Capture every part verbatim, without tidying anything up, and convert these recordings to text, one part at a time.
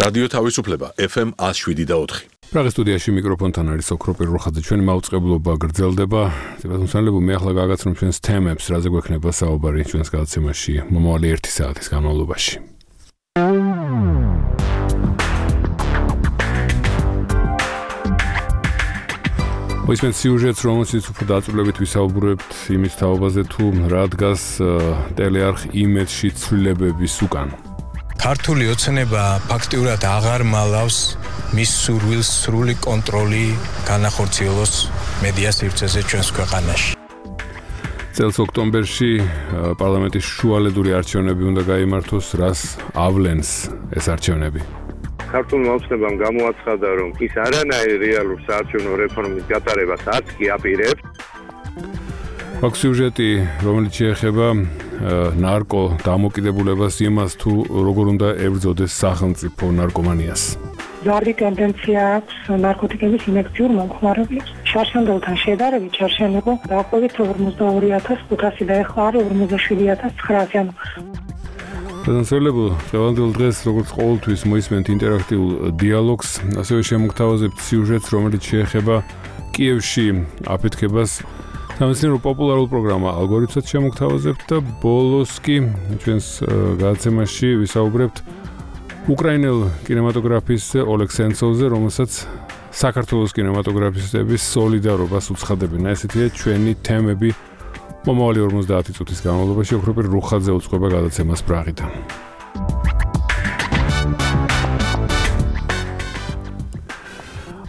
რადიო თავისუფლება ეფ ემ one oh seven point four. პრაღის სტუდიაში მიკროფონთან არის ოქროპირ როხაძე. ჩვენი მაუწყებლობა გრძელდება. თვითონსალებ მე ახლა გაგაცნობ ჩვენს თემებს, რაზე გვექნება საუბარი ჩვენს გადაცემაში მომავალი ერთი საათის განმავლობაში. მოისმენთ სიუჟეტს, რომელშიც უფრო დაწვრილებით ვისაუბრებთ იმის თაობაზე, თუ რა დგას ტელეარხ იმედში ცვლილებების უკან. ქართული ოცნება ფაქტიურად აღარ მალავს მის სურვილს სრული კონტროლი განახორციელოს მედია სივრცეზე ჩვენს ქვეყანაში. წელს ოქტომბერში პარლამენტის შუალედური არჩევნები უნდა გაიმართოს, რას ავლენს ეს არჩევნები? ქართულმა ოცნებამ გამოაცხადა, რომ ის არანაირ რეალურ საარჩევნო რეფორმის გატარებას არც კი აპირებს. აქ სიუჟეტი, რომელიც შეეხება ნარკო დამოკიდებულებას, იმას თუ როგორ უნდა ებრძოდეს სახელმწიფო ნარკომანიას. ზარდი ტენდენცია აქვს ნარკოტიკების ინექციურ მომხმარებლებს. შარშანდელთან შედარებით შარშან იყო დაახლოებით ორმოცდაორი ათასი ხუთასი და ეხლა არის ორმოცდაშვიდი ათასი ცხრაასი. ანუ პრეზიდენტებო, დღევანდელ დღეს როგორც ყოველთვის მოისმენთ ინტერაქტიულ დიალოგს, ასევე შემოგთავაზებთ სიუჟეტს, რომელიც შეეხება კიევში აფეთქებას. სამეცნიერო პოპულარულ პროგრამა ალგორითმსაც შემოგთავაზებთ და ბოლოს კი ჩვენს გადაცემაში ვისაუბრებთ უკრაინელ კინემატოგრაფისტზე ოლეგ სენცოვზე, რომელსაც საქართველოს კინემატოგრაფისტების სოლიდარობას უცხადებენ. ესეთია ჩვენი თემები მომავალი ორმოცდაათი წუთის განმავლობაში. ოქროპირ როხაძე უწყობა გადაცემას პრაღიდან.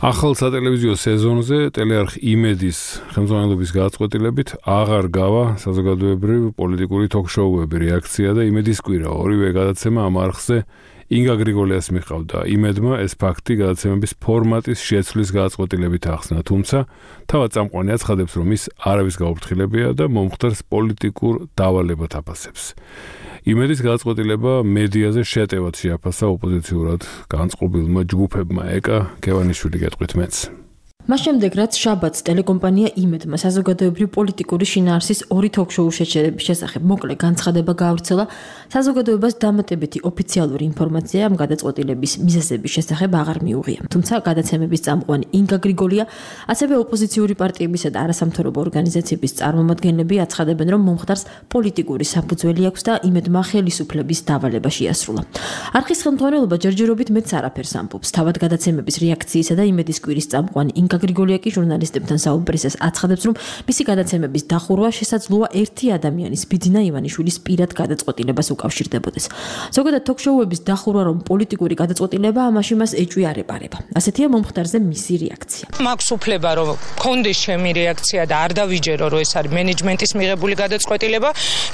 ახალ სატელევიზიო სეზონზე ტელეარხ იმედის ხელმძღვანელობის გადაწყვეტილებით აღარ გავა საზოგადოებრივი პოლიტიკური თოქ-შოუები. რეაქცია და იმედის კვირა ორივე გადაცემა ამ არხზე ინგა გრიგოლიას მიჰყავდა. იმედმა ეს ფაქტი გადაცემების ფორმატის შეცვლის გადაწყვეტილებით ახსნა, თუმცა თავად წამყვანი აცხადებს, რომ ის არავის გაუფრთხილებია და მომხდარს პოლიტიკურ დავალებად აფასებს. იმედის გადაწყვეტილება მედიაზე შეტევად შეაფასა ოპოზიციურად განწყობილმა ჯგუფებმა. ეკა გევანიშვილი გეტყვით მეც. მას შემდეგ, რაც შაბათს ტელეკომპანია იმედმა საზოგადოებრივი პოლიტიკური შინაარსის ორი თოქ-შოუ შეჩერების შესახებ მოკლე განცხადება გაავრცელა, საზოგადოებას დამატებითი ოფიციალური ინფორმაცია ამ გადაწყვეტილების მიზეზების შესახებ აღარ მიუღია. თუმცა გადაცემების წამყვანი ინგა გრიგოლია, ასევე ოპოზიციური პარტიებისა და არასამთავრობო ორგანიზაციების წარმომადგენლები აცხადებენ, რომ მომხდარს პოლიტიკური საფუძველი აქვს და იმედმა ხელისუფლების დავალება შეასრულა. არხის ხელმძღვანელობა ჯერჯერობით მეც არაფერს ამბობს. თავად გადაცემების რეაქციისა და იმედის კვირის წამყვანი ინგა გრიგოლია კი ჟურნალისტებთან საუბრისას აცხადებს, რომ მისი გადაცემების დახურვა შესაძლოა ერთი ადამიანის, ბიძინა ივანიშვილის პირად გადაწყვეტილებას უკავშირდებოდეს. ზოგადად თოქ-შოუების დახურვა, რომ პოლიტიკური გადაწყვეტილება, ამაში მას ეჭვი არ ეპარება. ასეთია მომხდარზე მისი რეაქცია. მაქვს უფლება, რომ მქონდეს ჩემი რეაქცია და არ დავიჯერო, რომ ეს არის მენეჯმენტის მიღებული გადაწყვეტილება,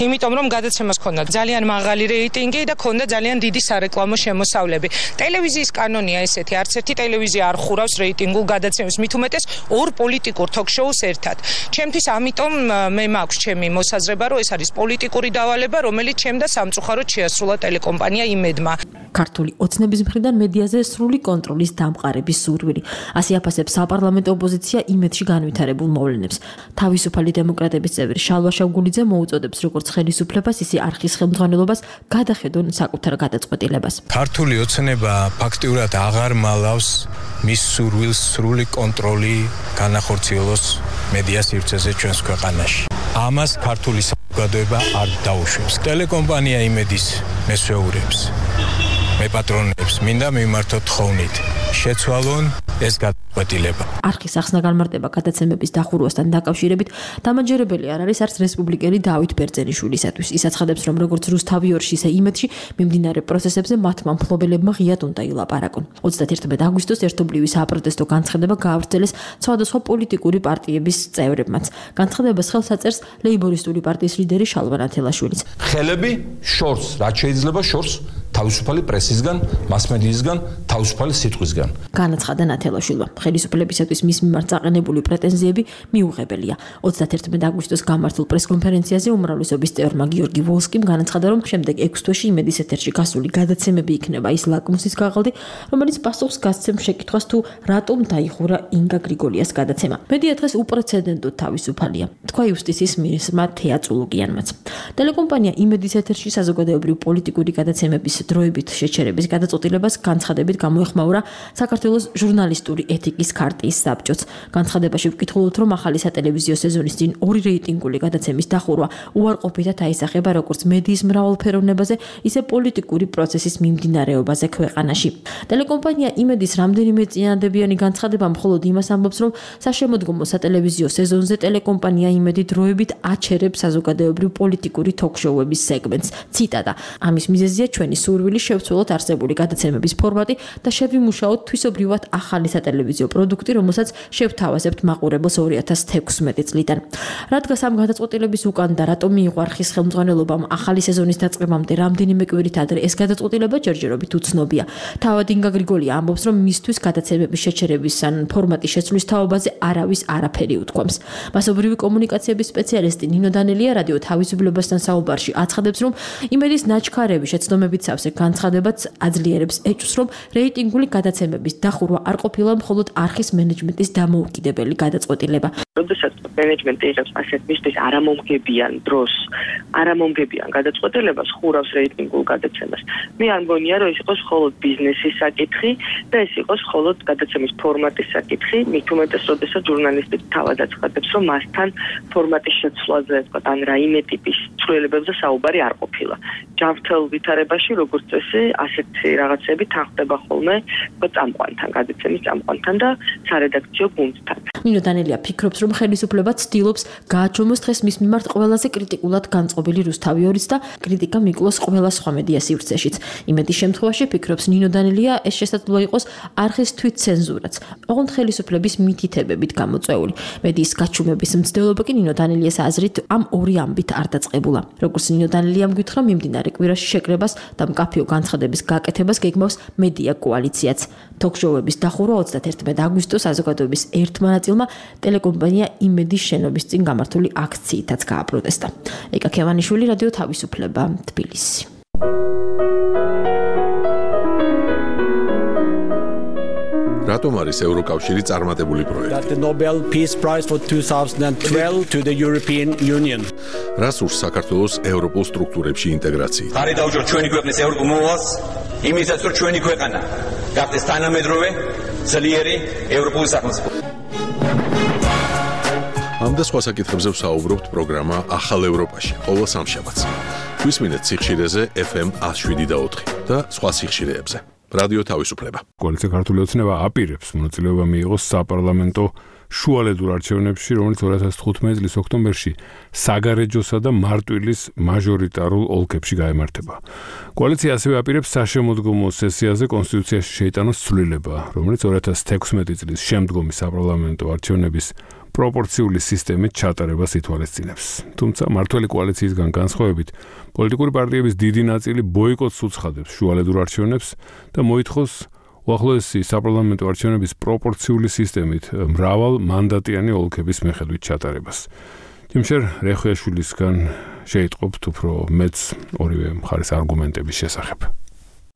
იმიტომ რომ გადაცემას ჰქონდა ძალიან მაღალი რეიტინგი და ჰქონდა ძალიან დიდი სარეკლამო შემოსავლები. ტელევიზიის კანონია ესეთი, არც ერთი ტელევიზია არ ხურავს რეიტინგულ გადაცემებს. მით უმეტეს ორ პოლიტიკურ თოქ-შოუს ერთად. ჩემთვის ამიტომ მე მაქვს ჩემი მოსაზრება, რომ ეს არის პოლიტიკური დავალება, რომელიც ჩემ და სამწუხაროდ შეასრულა ტელეკომპანია იმედმა. ქართული ოცნების მხრიდან მედიაზე სრული კონტროლის დამყარების სურვილი. ასე აფასებს საპარლამენტო ოპოზიცია იმედში განვითარებულ მოვლენებს. თავისუფალი დემოკრატების წევრი შალვა შავგულიძე მოუწოდებს როგორც ხელისუფლებას, ისე არხის ხელმძღვანელობას გადახედონ საკუთარ გადაწყვეტილებას. ქართული ოცნება ფაქტიურად აღარ მალავს მის სურვილს სრული კონტროლი განახორციელოს მედია სივრცეზე ჩვენს ქვეყანაში. ამას ქართული საზოგადოება არ დაუშვებს. ტელეკომპანია იმედის მესვეურებს, მეპატრონებს, მინდა მიმართოთ თხოვნით. შეცვალონ ეს გადაწყვეტილება. არხის ახსნა განმარტება გადაცემების დახურვასთან დაკავშირებით დამაჯერებელი არ არის არც რესპუბლიკელი დავით ბერძენიშვილისათვის. ის აცხადებს, რომ როგორც რუსთავი ორში, ისე იმედში მიმდინარე პროცესებზე მათმა მფლობელებმა ღიად უნდა ილაპარაკონ. ოცდაათერთმეტი აგვისტოს ერთობლივი საპროტესტო განცხადება გაავრცელეს სხვადასხვა პოლიტიკური პარტიების წევრებმაც. განცხადებას ხელს აწერს ლეიბორისტული პარტიის ლიდერი შალვა ნათელაშვილიც. ხელები შორს, რაც შეიძლება შორს თავისუფალი პრესისგან, მასმედიისგან, თავისუფალი სიტყვისგან. განაცხადა ნათელაშვილმა. ხელისუფლებისათვის მის მიმართ წაყენებული პრეტენზიები მიუღებელია. ოცდაათერთმეტი აგვისტოს გამართულ პრესკონფერენციაზე უმრავლესობის წევრმა გიორგი ვოლსკიმ განაცხადა, რომ შემდეგ ექვს თვეში იმედის ეთერში გასული გადაცემები იქნება ის ლაკმუსის ქაღალდი, რომელიც პასუხს გასცემს შეკითხვას, თუ რატომ დაიხურა ინგა გრიგოლიას გადაცემა. მედია დღეს უპრეცედენტოდ თავისუფალია, თქვა იუსტიციის მინისტრმა თეა წულუკიანმაც. ტელეკომპანია იმედის ეთერში საზოგადოებრივი პოლიტიკური გადაცემების დროებით შეჩერების გადაწყვეტილებას განცხადებით გამოეხმაურა საქართველოს ჟურნალისტური ეთიკის ქარტიის საბჭოც. განცხადებაში ვკითხულობთ, რომ ახალი სატელევიზიო სეზონის წინ ორი რეიტინგული გადაცემის დახურვა უარყოფითად აისახება როგორც მედიის მრავალფეროვნებაზე, ისე პოლიტიკური პროცესის მიმდინარეობაზე ქვეყანაში. ტელეკომპანია იმედის რამდენიმე წინადადებიანი განცხადება მხოლოდ იმას ამბობს, რომ საშემოდგომო სატელევიზიო სეზონზე ტელეკომპანია იმედი დროებით აჩერებს საზოგადოებრივ პოლიტიკური თოქ-შოუების სეგმენტს. ციტატა: ამის მიზეზია ჩვენი სურვილი შევცვლოთ არსებული გადაცემების ფორმატი და შევიმუშაოთ თვისობრივად ახალი სატელევიზიო პროდუქტი, რომელსაც შევთავაზებთ მაყურებელს ორი ათას თექვსმეტი წლიდან. რადგან ამ გადაწყვეტილების უკან და რატომ მიიღო არხის ხელმძღვანელობამ ახალი სეზონის დაწყებამდე რამდენიმე კვირით ადრე ეს გადაწყვეტილება ჯერჯერობით უცნობია. თავად ინგა გრიგოლია ამბობს, რომ მისთვის გადაცემების შეჩერების ან ფორმატის შეცვლის თაობაზე არავის არაფერი უთქვამს. მასობრივი კომუნიკაციების სპეციალისტი ნინო დანელია რადიო თავისუფლებასთან საუბარში აცხადებს, რომ იმედის ნაჩქარები შეცდომებით სავსე განცხადებაც აძლიერებს ეჭვს, რომ რეიტინგული გადაცემების დახურვა არ ყოფილა მხოლოდ არხის მენეჯმენტის დამოუკიდებელი გადაწყვეტილება. როდესაც მენეჯმენტი იღებს ასეთ მისთვის არამომგებიან დროს, არამომგებიან გადაწყვეტილებას, ხურავს რეიტინგულ გადაცემას. მე არ მგონია, რომ ეს იყოს მხოლოდ ბიზნესის საკითხი და ეს იყოს მხოლოდ გადაცემის ფორმატის საკითხი, მით უმეტეს, როდესაც ჟურნალისტი თავად აცხადებს, რომ მასთან ფორმატის შეცვლაზე, თქვა, ან რაიმე ტიპის ცვლილებებზე საუბარი არ ყოფილა. ჯანმრთელ ვითარებაში, როგორც წესი, ასეთი რაღაცები თანხდება ხოლმე, თქვა, წამყვანთან, გადაცემის წამყვანთან და სარედაქციო გუნდთან. ნინო დანელია ფიქრობს, რომ ხელისუფლება ცდილობს გააჩვენოს დღეს მის მიმართ ყველაზე კრიტიკულად განწყობილი რუსთავი ორიც და კრიტიკა მიკლოს ყველა სხვა მედია სივრცეშიც. იმედის შემთხვევაში ფიქრობს ნინო დანელია, ეს შესაძლოა იყოს არხის თვითცენზურაც, ოღონდ ხელისუფლების მითითებებით გამოწვეული. მედიის გაჩუმების მცდელობა კი ნინო დანელიას აზრით ამ ორი ამბით არ დაწყებულა. როგორც ნინო დანელიამ გითხრა, მიმდინარე კვირაში შეკრებას და მკაფიო განცხადების გაკეთებას გეგმავს მედია კოალიციაც. თოქ-შოუების დახურვა ოცდაათერთმეტი აგვისტოს საზოგადოების ერთმა ნაწილმა ტელეკომპანია იმედის შენობის წინ გამართული აქციითაც გააპროტესტა. ეკა ქევანიშვილი, რადიო თავისუფლება, თბილისი. რატომ არის ევროკავშირი წარმატებული პროექტი? The Nobel Peace Prize for twenty twelve to the European Union. რას ურს საქართველოს ევროპულ სტრუქტურებში ინტეგრაცია? ხარი დაუჯეროთ ჩვენი ქვეყნის ევროპულ მოვალს, იმისაც რომ ჩვენი ქვეყანა გახდეს თანამედროვე, ძლიერი ევროპული სახელმწიფო. ამ და სხვა საკითხებზე ვსაუბრობთ პროგრამა ახალ ევროპაში, ყოველ სამშაბათს. გვისმინეთ სიხშირეზე ეფ ემ one oh seven და ოთხი და სხვა სიხშირეებზე. რადიო თავისუფლება. კოალიცია ქართული ოცნება აპირებს მონაწილეობა მიიღოს საპარლამენტო შუალედურ არჩევნებში, რომელიც ორი ათას თხუთმეტი წლის ოქტომბერში საგარეჯოსა და მარტვილის მაჟორიტარულ ოლქებში გაემართება. კოალიცია ასევე აპირებს საშემოდგომო სესიაზე კონსტიტუციაში შეიტანოს ცვლილება, რომელიც ორი ათას თექვსმეტი წლის შემდგომი საპარლამენტო არჩევნების პროპორციული სისტემით ჩატარებას ითვალისწინებს. თუმცა მართველი კოალიციისგან განსხვავებით, პოლიტიკური პარტიების დიდი ნაწილი ბოიკოტს უცხადებს შუალედურ არჩევნებს და მოითხოვს უახლოესი საპარლამენტო არჩევნების პროპორციული სისტემით მრავალ მანდატიანი ოლქების მიხედვით ჩატარებას. ჯიმშერ რეხვიაშვილისგან შეიტყობთ უფრო მეც ორივე მხარის არგუმენტების შესახებ.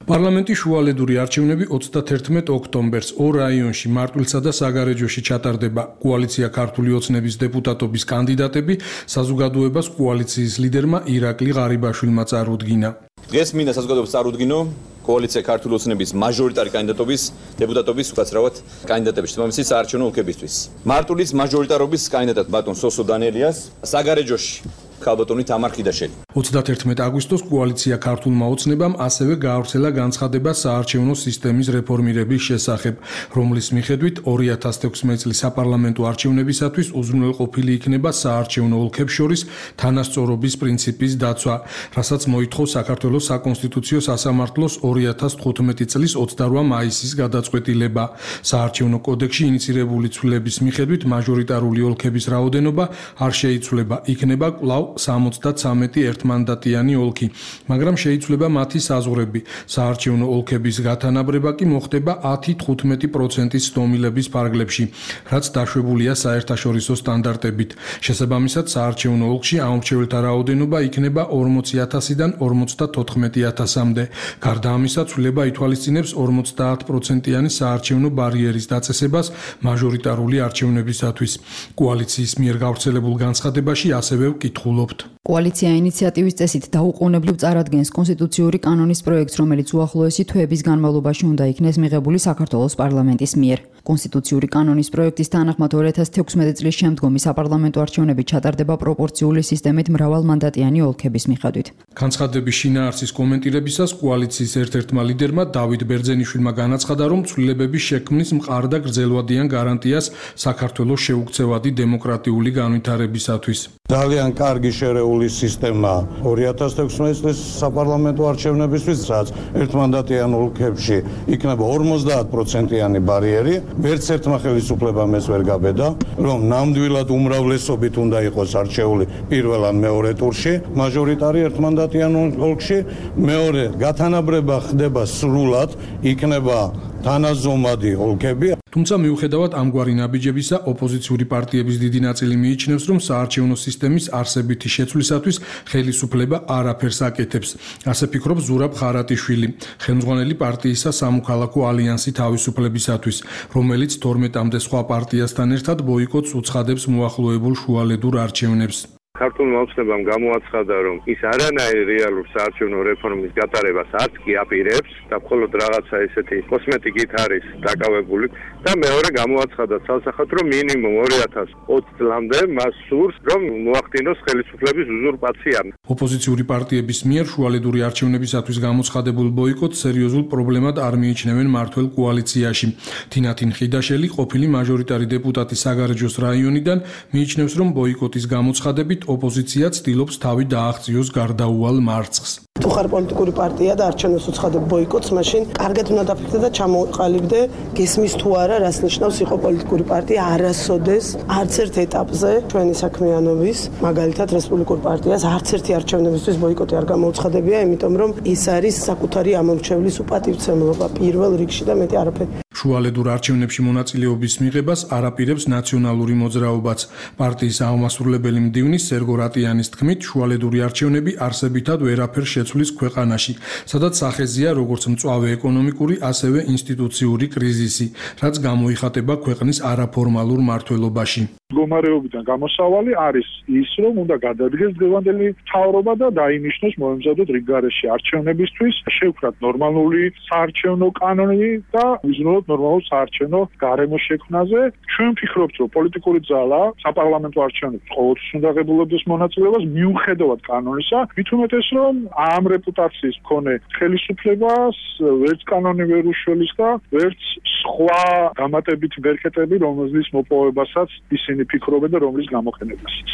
პარლამენტის შუალედური არჩევნები ოცდაათერთმეტი ოქტომბერს ორ რაიონში მარტვილსა და საგარეჯოში ჩატარდება. კოალიცია ქართული ოცნების დეპუტატობის კანდიდატები საზოგადოებას კოალიციის ლიდერმა ირაკლი ღარიბაშვილმა წარუდგინა. დღეს მინდა საზოგადოებას წარუდგინო კოალიცია ქართული ოცნების მაჟორიტარი კანდიდატობის დეპუტატობის უკაცრავად კანდიდატების თემამისის საარჩევნო ოლქებისთვის. მარტვილის მაჟორიტარობის კანდიდატ ბატონ სოსო დანელიას, საგარეჯოში ქალბატონი თამარ ხიდაშელი. ოცდაათერთმეტი აგვისტოს კოალიცია ქართულმა ოცნებამ ასევე გაავრცელა განცხადება საარჩევნო სისტემის რეფორმირების შესახებ, რომლის მიხედვით ორი ათას თექვსმეტი წლის საპარლამენტო არჩევნებისათვის უზრუნველყოფილი იქნება საარჩევნო ოლქებს შორის თანასწორობის პრინციპის დაცვა, რასაც მოითხოვს საქართველოს საკონსტიტუციო სასამართლოს ორი ათას თხუთმეტი წლის ოცდაორი მაისის გადაწყვეტილება. საარჩევნო კოდექსში ინიცირებული ცვლილების მიხედვით მაჟორიტარული ოლქების რაოდენობა არ შეიცვლება, იქნება კვლავ სამოცდათვრამეტი ერთმანდატიანი ოლქი, მაგრამ შეიცვლება მათი საზღვრები. საარჩევნო ოლქების გათანაბრება კი მოხდება ათი თხუთმეტი პროცენტის ცდომილების ფარგლებში, რაც დაშვებულია საერთაშორისო სტანდარტებით. შესაბამისად, საარჩევნო ოლქში ამორჩეველთა რაოდენობა იქნება ორმოცი ათასიდან ორმოცდათოთხმეტი ათასამდე. გარდა ამისა, ცვლილება ითვალისწინებს ორმოცდაათ პროცენტიანი საარჩევნო ბარიერის დაწესებას მაჟორიტარული არჩევნებისათვის. კოალიციის მიერ გავრცელებულ განცხადებაში ასევე ვკითხულობთ. კოალიცია ინიციატორ ინიციატივის წესით დაუყოვნებლივ წარადგენს კონსტიტუციური კანონის პროექტს, რომელიც უახლოესი თვეების განმავლობაში უნდა იქნეს მიღებული საქართველოს პარლამენტის მიერ. კონსტიტუციური კანონის პროექტის თანახმად ორი ათას თექვსმეტი წლის შემდგომი საპარლამენტო არჩევნები ჩატარდება პროპორციული სისტემით მრავალმანდატიანი ოლქების მიხედვით. განცხადების შინაარსის კომენტირებისას კოალიციის ერთ-ერთმა ლიდერმა დავით ბერძენიშვილმა განაცხადა, რომ ცვლილებების შექმნის მყარ და გრძელვადიან გარანტიას საქართველოს შეუქცევადი დემოკრატიული განვითარებისათვის. ძალიან კარგი შერეული სისტემა ორი ათას თექვსმეტი წლის საპარლამენტო არჩევნებისთვის, რაც ერთმანდატიან ოლქებში იქნება ორმოცდაათ პროცენტიანი ბარიერი. ვერც ერთმა ხელისუფლებამ ეს ვერ გაბედა, რომ ნამდვილად უმრავლესობით უნდა იყოს არჩეული პირველ ან მეორე ტურში, მაჟორიტარი ერთმანდატიან ოლქში, მეორე გათანაბრება ხდება სრულად, იქნება თანაზომადი ოლქები. თუმცა მიუხედავად ამგვარი ნაბიჯებისა, ოპოზიციური პარტიების დიდი ნაწილი მიიჩნევს, რომ საარჩევნო სისტემის არსებითი შეცვლისათვის ხელისუფლება არაფერს აკეთებს. ასე ფიქრობს ზურაბ ხარატიშვილი, ხელმძღვანელი პარტიისა სამოქალაქო ალიანსი თავისუფლებისათვის, რომელიც თორმეტამდე სხვა პარტიასთან ერთად ბოიკოტს უცხადებს მოახლოებულ შუალედურ არჩევნებს. ქართულმა ოცნებამ გამოაცხადა, რომ ის არანაირ რეალურ საარჩევნო რეფორმის გატარებას არც კი აპირებს და მხოლოდ რაღაცა ესეთი კოსმეტიკით არის დაკავებული და მეორე გამოაცხადა ცალსახად, რომ მინიმუმ ორი ათას ოცი წლამდე მას სურს, რომ მოახდინოს ხელისუფლების უზურპაცია. ოპოზიციური პარტიების მიერ შუალედური არჩევნებისათვის გამოცხადებულ ბოიკოტს სერიოზულ პრობლემად არ მიიჩნევენ მართველ კოალიციაში. თინათინ ხიდაშელი, ყოფილი მაჟორიტარი დეპუტატი საგარეჯოს რაიონიდან, მიიჩნევს, რომ ბოიკოტის გამოცხადებით ოპოზიცია ცდილობს თავი დააღწიოს გარდაუვალ მარცხს. თუ ხარ პოლიტიკური პარტია და არჩევნებს უცხადებ ბოიკოტს, მაშინ კარგად უნდა დაფიქრდე და ჩამოყალიბდე, გესმის თუ არა, რას ნიშნავს იყო პოლიტიკური პარტია არასოდეს არც ერთ ეტაპზე ჩვენი საქმიანობის, მაგალითად რესპუბლიკურ პარტიას არც ერთი არჩევნებისთვის ბოიკოტი არ გამოუცხადებია, იმიტომ რომ ეს არის საკუთარი ამორჩევლის უპატივცემლობა პირველ რიგში და მეტი არაფერი. შუალედურ არჩევნებში მონაწილეობის მიღებას არაპირებს ნაციონალური მოძრაობაც. პარტიის აღმასრულებელი მდივნის სერგო რატიანის თქმით, შუალედური არჩევნები არსებითად ვერაფერს შეცვლის ქვეყანაში, სადაც სახეზეა როგორც მწვავე ეკონომიკური, ასევე ინსტიტუციური კრიზისი, რაც გამოიხატება ქვეყნის არაფორმალურ მმართველობაში. მდგომარეობიდან გამოსავალი არის ის, რომ უნდა გადადგეს დღევანდელი მთავრობა და დაინიშნოს მოემზადოთ რიგგარეშე არჩევნებისთვის, შევქრათ ნორმალური საარჩევნო კანონი და ვიზრუნოთ ნორმალურ საარჩევნო გარემოს შექმნაზე. ჩვენ ვფიქრობთ, რომ პოლიტიკური ძალა საპარლამენტო არჩევნებში ყოველთვის უნდა ღებულობდეს მონაწილეობას მიუხედავად კანონისა, მით უმეტეს, რომ ამ რეპუტაციის მქონე ხელისუფლებას ვერც კანონი ვერ უშველის და ვერც სხვა დამატებითი ბერქეტები, რომლის მოპოვებასაც ისინი ფიქრობენ და რომლის გამოყენებასაც.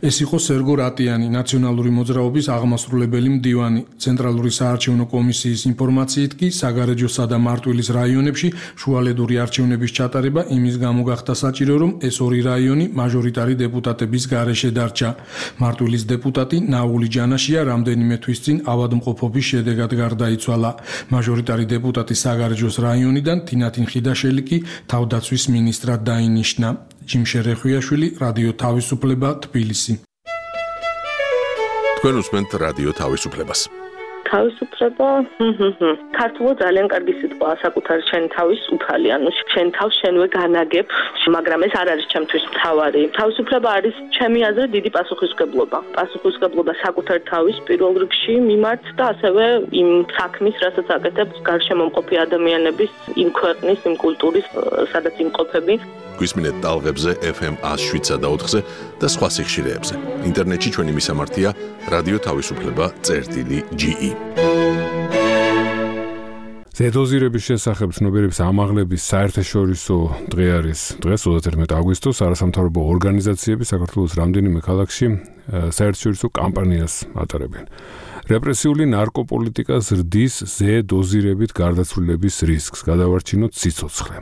ეს იყო სერგო რატიანი, ნაციონალური მოძრაობის აღმასრულებელი მდივანი. ცენტრალური საარჩევნო კომისიის ინფორმაციით კი საგარეჯოსა და მარტვილის რაიონებში შუალედური არჩევნების ჩატარება იმის გამო გახდა საჭირო, რომ ეს ორი რაიონი მაჟორიტარი დეპუტატების გარეშე დარჩა. მარტვილის დეპუტატი ნაული ჯანაშია რამდენიმე თვის წინ ავადმყოფობის შედეგად გარდაიცვალა. მაჟორიტარი დეპუტატი საგარეჯოს რაიონიდან თინათინ ხიდაშელი კი თავდაცვის მინისტრად დაინიშნა. ჯიმშე რეხვიაშვილი, რადიო თავისუფლება, თბილისი. თქვენ უსმენთ რადიო თავისუფლებას. თავისუფლება, ქართულად ძალიან კარგი სიტყვაა, საკუთარი შენ თავის უფალი, ანუ შენ თავს შენვე განაგებ, მაგრამ ეს არ არის ჩემთვის მთავარი. თავისუფლება არის ჩემი აზრით დიდი პასუხისმგებლობა. პასუხისმგებლობა საკუთარი თავის პირველ რიგში მიმართ და ასევე იმ საქმის, რასაც აკეთებს გარშემომყოფი ადამიანების, იმ ქვეყნის, იმ კულტურის, სადაც იმყოფები. გვისმინეთ ტალღებზე ეფ ემ ას შვიდსა და ოთხზე და სხვა სიხშირეებზე. ინტერნეტში ჩვენი მისამართია რადიო თავისუფლება წერტილი ჯი ი. ზედოზირების შესახებ ცნობიერების ამაღლების საერთაშორისო დღე არის დღეს ოცდაერთი აგვისტოს არასამთავრობო ორგანიზაციები საქართველოს რამდენიმე ქალაქში საერთაშორისო კამპანიას ატარებენ. რეპრესიული ნარკოპოლიტიკა ზრდის ზედოზირებით გარდაცვლილების რისკს, გადავარჩინოთ სიცოცხლე.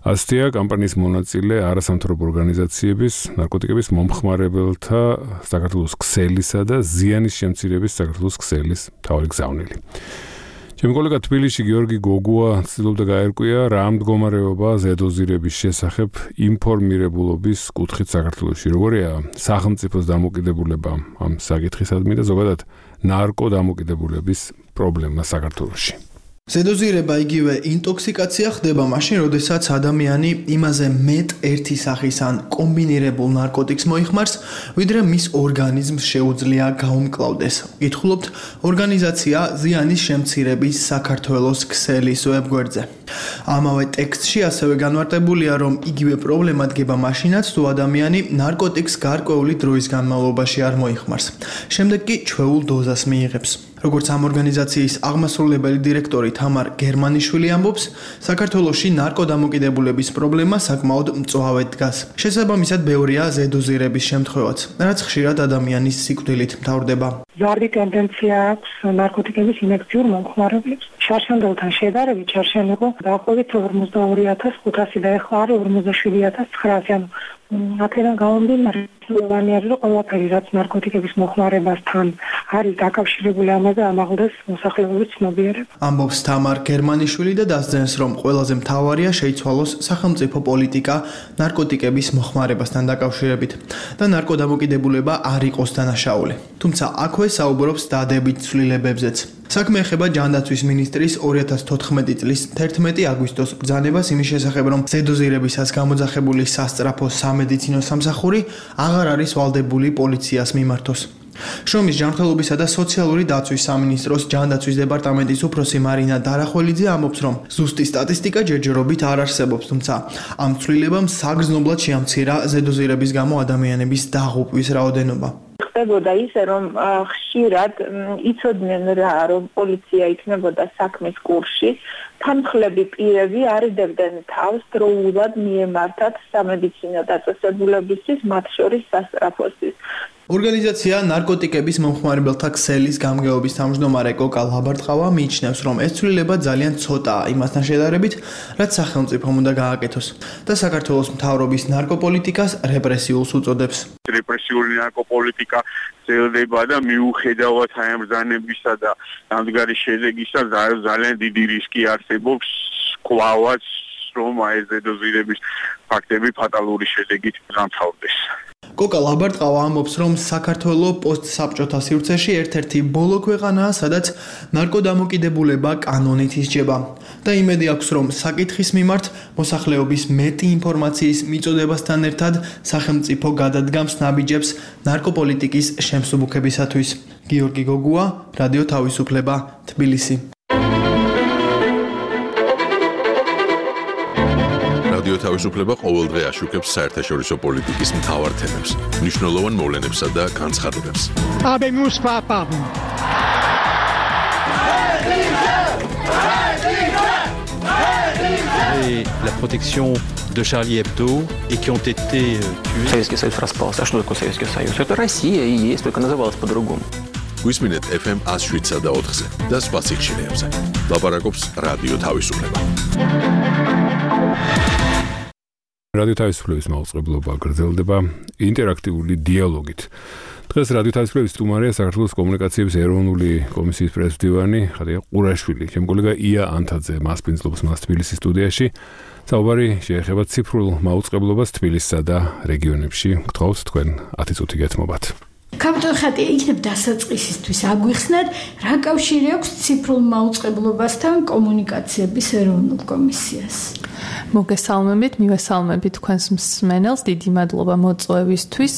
ასეთია კამპანიის მონაწილე არასამთავრობო ორგანიზაციების, ნარკოტიკების მომხმარებელთა საქართველოს ქსელისა და ზიანის შემცირების საქართველოს ქსელის მთავარი გზავნილი. ჩემი კოლეგა თბილისში გიორგი გოგუა ცდილობდა გაერკვია რა მდგომარეობა ზედოზირების შესახებ ინფორმირებულობის კუთხით საქართველოში. როგორია სახელმწიფოს დამოკიდებულება ამ საკითხისადმი და ზოგადად ნარკო დამოკიდებულების პრობლემა საქართველოში. ზედოზირება იგივე ინტოქსიკაცია ხდება მაშინ, როდესაც ადამიანი იმაზე მეტ ერთი სახის ან კომბინირებულ ნარკოტიკს მოიხმარს, ვიდრე მის ორგანიზმს შეუძლია გაუმკლავდეს. გითხულობთ ორგანიზაცია ზიანის შემცირების საქართველოს ქსელის ვებგვერდზე. ამავე ტექსტში ასევე განმარტებულია, რომ იგივე პრობლემა დგება მაშინაც, თუ ადამიანი ნარკოტიკს გარკვეული დროის განმავლობაში არ მოიხმარს. შემდეგ კი ჩვეულ დოზას მიიღებს. როგორც ამ ორგანიზაციის აღმასრულებელი დირექტორი თამარ გერმანიშვილი ამბობს, საქართველოში ნარკოდამოკიდებულების პრობლემა საკმაოდ მწვავედ დგას. შესაბამისად, ბევრია ზედოზირების შემთხვევაც, რაც ხშირად ადამიანის სიკვდილით მთავრდება. ზარდი ტენდენცია აქვს ნარკოტიკების ინექციურ მომხმარებლებს. შარშანდელთან შედარებით შარშანი იყო დაახლოებით ორმოცდაორი ათას ხუთასი და ეხლა არის ორმოცდაშვიდი ათას ცხრაასი. ანუ აქედან გამომდინარე, რომ ყველაფერი რაც ნარკოტიკების მოხმარებასთან არის დაკავშირებული, ამაზე ამაღლდეს მოსახლეობის ცნობიერება. ამბობს თამარ გერმანიშვილი და დასძენს, რომ ყველაზე მთავარია შეიცვალოს სახელმწიფო პოლიტიკა ნარკოტიკების მოხმარებასთან დაკავშირებით და ნარკოდამოკიდებულება არ იყოს დანაშაული. თუმცა აქვე საუბრობს დადებით ცვლილებებზეც. საქმე ეხება ჯანდაცვის მინისტრის ორი ათას თოთხმეტი წლის თერთმეტი აგვისტოს ბრძანებას იმის შესახებ, რომ ზედოზირებისას გამოძახებული სასწრაფო სამედიცინო სამსახური აღარ არის ვალდებული პოლიციას მიმართოს. შრომის ჯანმრთელობისა და სოციალური დაცვის სამინისტროს ჯანდაცვის დეპარტამენტის უფროსი მარინა დარახველიძე ამბობს, რომ ზუსტი სტატისტიკა ჯერჯერობით არ არსებობს, თუმცა ამ ცვლილებამ საგრძნობლად შეამცირა ზედოზირების გამო ადამიანების დაღუპვის რაოდენობა. ხდებოდა ისე, რომ ხშირად იცოდნენ რა, რომ პოლიცია იქნებოდა საქმის კურსში, თანმხლები პირები არიდებდნენ თავს დროულად მიემართათ სამედიცინო დაწესებულებისთვის, მათ შორის სასწრაფოსთვის. ორგანიზაცია ნარკოტიკების მომხმარებელთა ქსელის გამგეობის თავმჯდომარე კოკა ლაბარტყავა მიიჩნევს, რომ ეს ცვლილება ძალიან ცოტაა იმასთან შედარებით, რაც სახელმწიფომ უნდა გააკეთოს და საქართველოს მთავრობის ნარკოპოლიტიკას რეპრესიულს უწოდებს. რეპრესიული ნარკოპოლიტიკა ძლდება და მიუხედავად აი ამ ბრძანებისა და დამდგარი შედეგისა ძალიან დიდი რისკი არსებობს კვლავაც, რომ აი ეს ზედოზირების ფაქტები ფატალური შედეგით გამთავრდეს. კოკა ლაბარტყავა ამბობს, რომ საქართველოს პოსტსაბჭოთა სივრცეში ერთ-ერთი ბოლო ქვეყანაა, სადაც ნარკოდამოკიდებულება კანონით ისჯება და იმედი აქვს, რომ საკითხის მიმართ მოსახლეობის მეტი ინფორმაციის მიწოდებასთან ერთად სახელმწიფო გადადგამს ნაბიჯებს ნარკოპოლიტიკის შემსუბუქებისათვის. გიორგი გოგუა, რადიო თავისუფლება, თბილისი. რადიო თავისუფლება ყოველდღე აშუქებს საერთაშორისო პოლიტიკის მთავარ თემებს, მნიშვნელოვან მოვლენებსა და განცხადებებს. La protection de Charlie Hebdo et qui ont été tués. Советский Союз распался. А что такое Советский Союз? Это Россия и есть, только называлась по-другому. გვისმინეთ эф эм one oh seven და ოთხზე და სხვა სიხშირეებზე. ლაპარაკობს რადიო თავისუფლება. რადიო თავისუფლების მაუწყებლობა გრძელდება ინტერაქტიული დიალოგით. დღეს რადიო თავისუფლების სტუმარია საქართველოს კომუნიკაციების ეროვნული კომისიის პრეზიდენტი ხადია ყურაშვილი. ჩემ კოლეგა ია ანთაძე მასპინძლობს მას თბილისის სტუდიაში. საუბარი შეეხება ციფრულ მაუწყებლობას თბილისსა და რეგიონებში. გთხოვთ თქვენ ათი წუთი გეთმობათ. კაპიტან ხატია, იქნებ დასაწყისისთვის აგვიხსნათ, რა კავშირი აქვს ციფრულ მაუწყებლობასთან კომუნიკაციების ეროვნულ კომისიას? მოგესალმებით, მივესალმებით თქვენს მსმენელს, დიდი მადლობა მოწვევისთვის.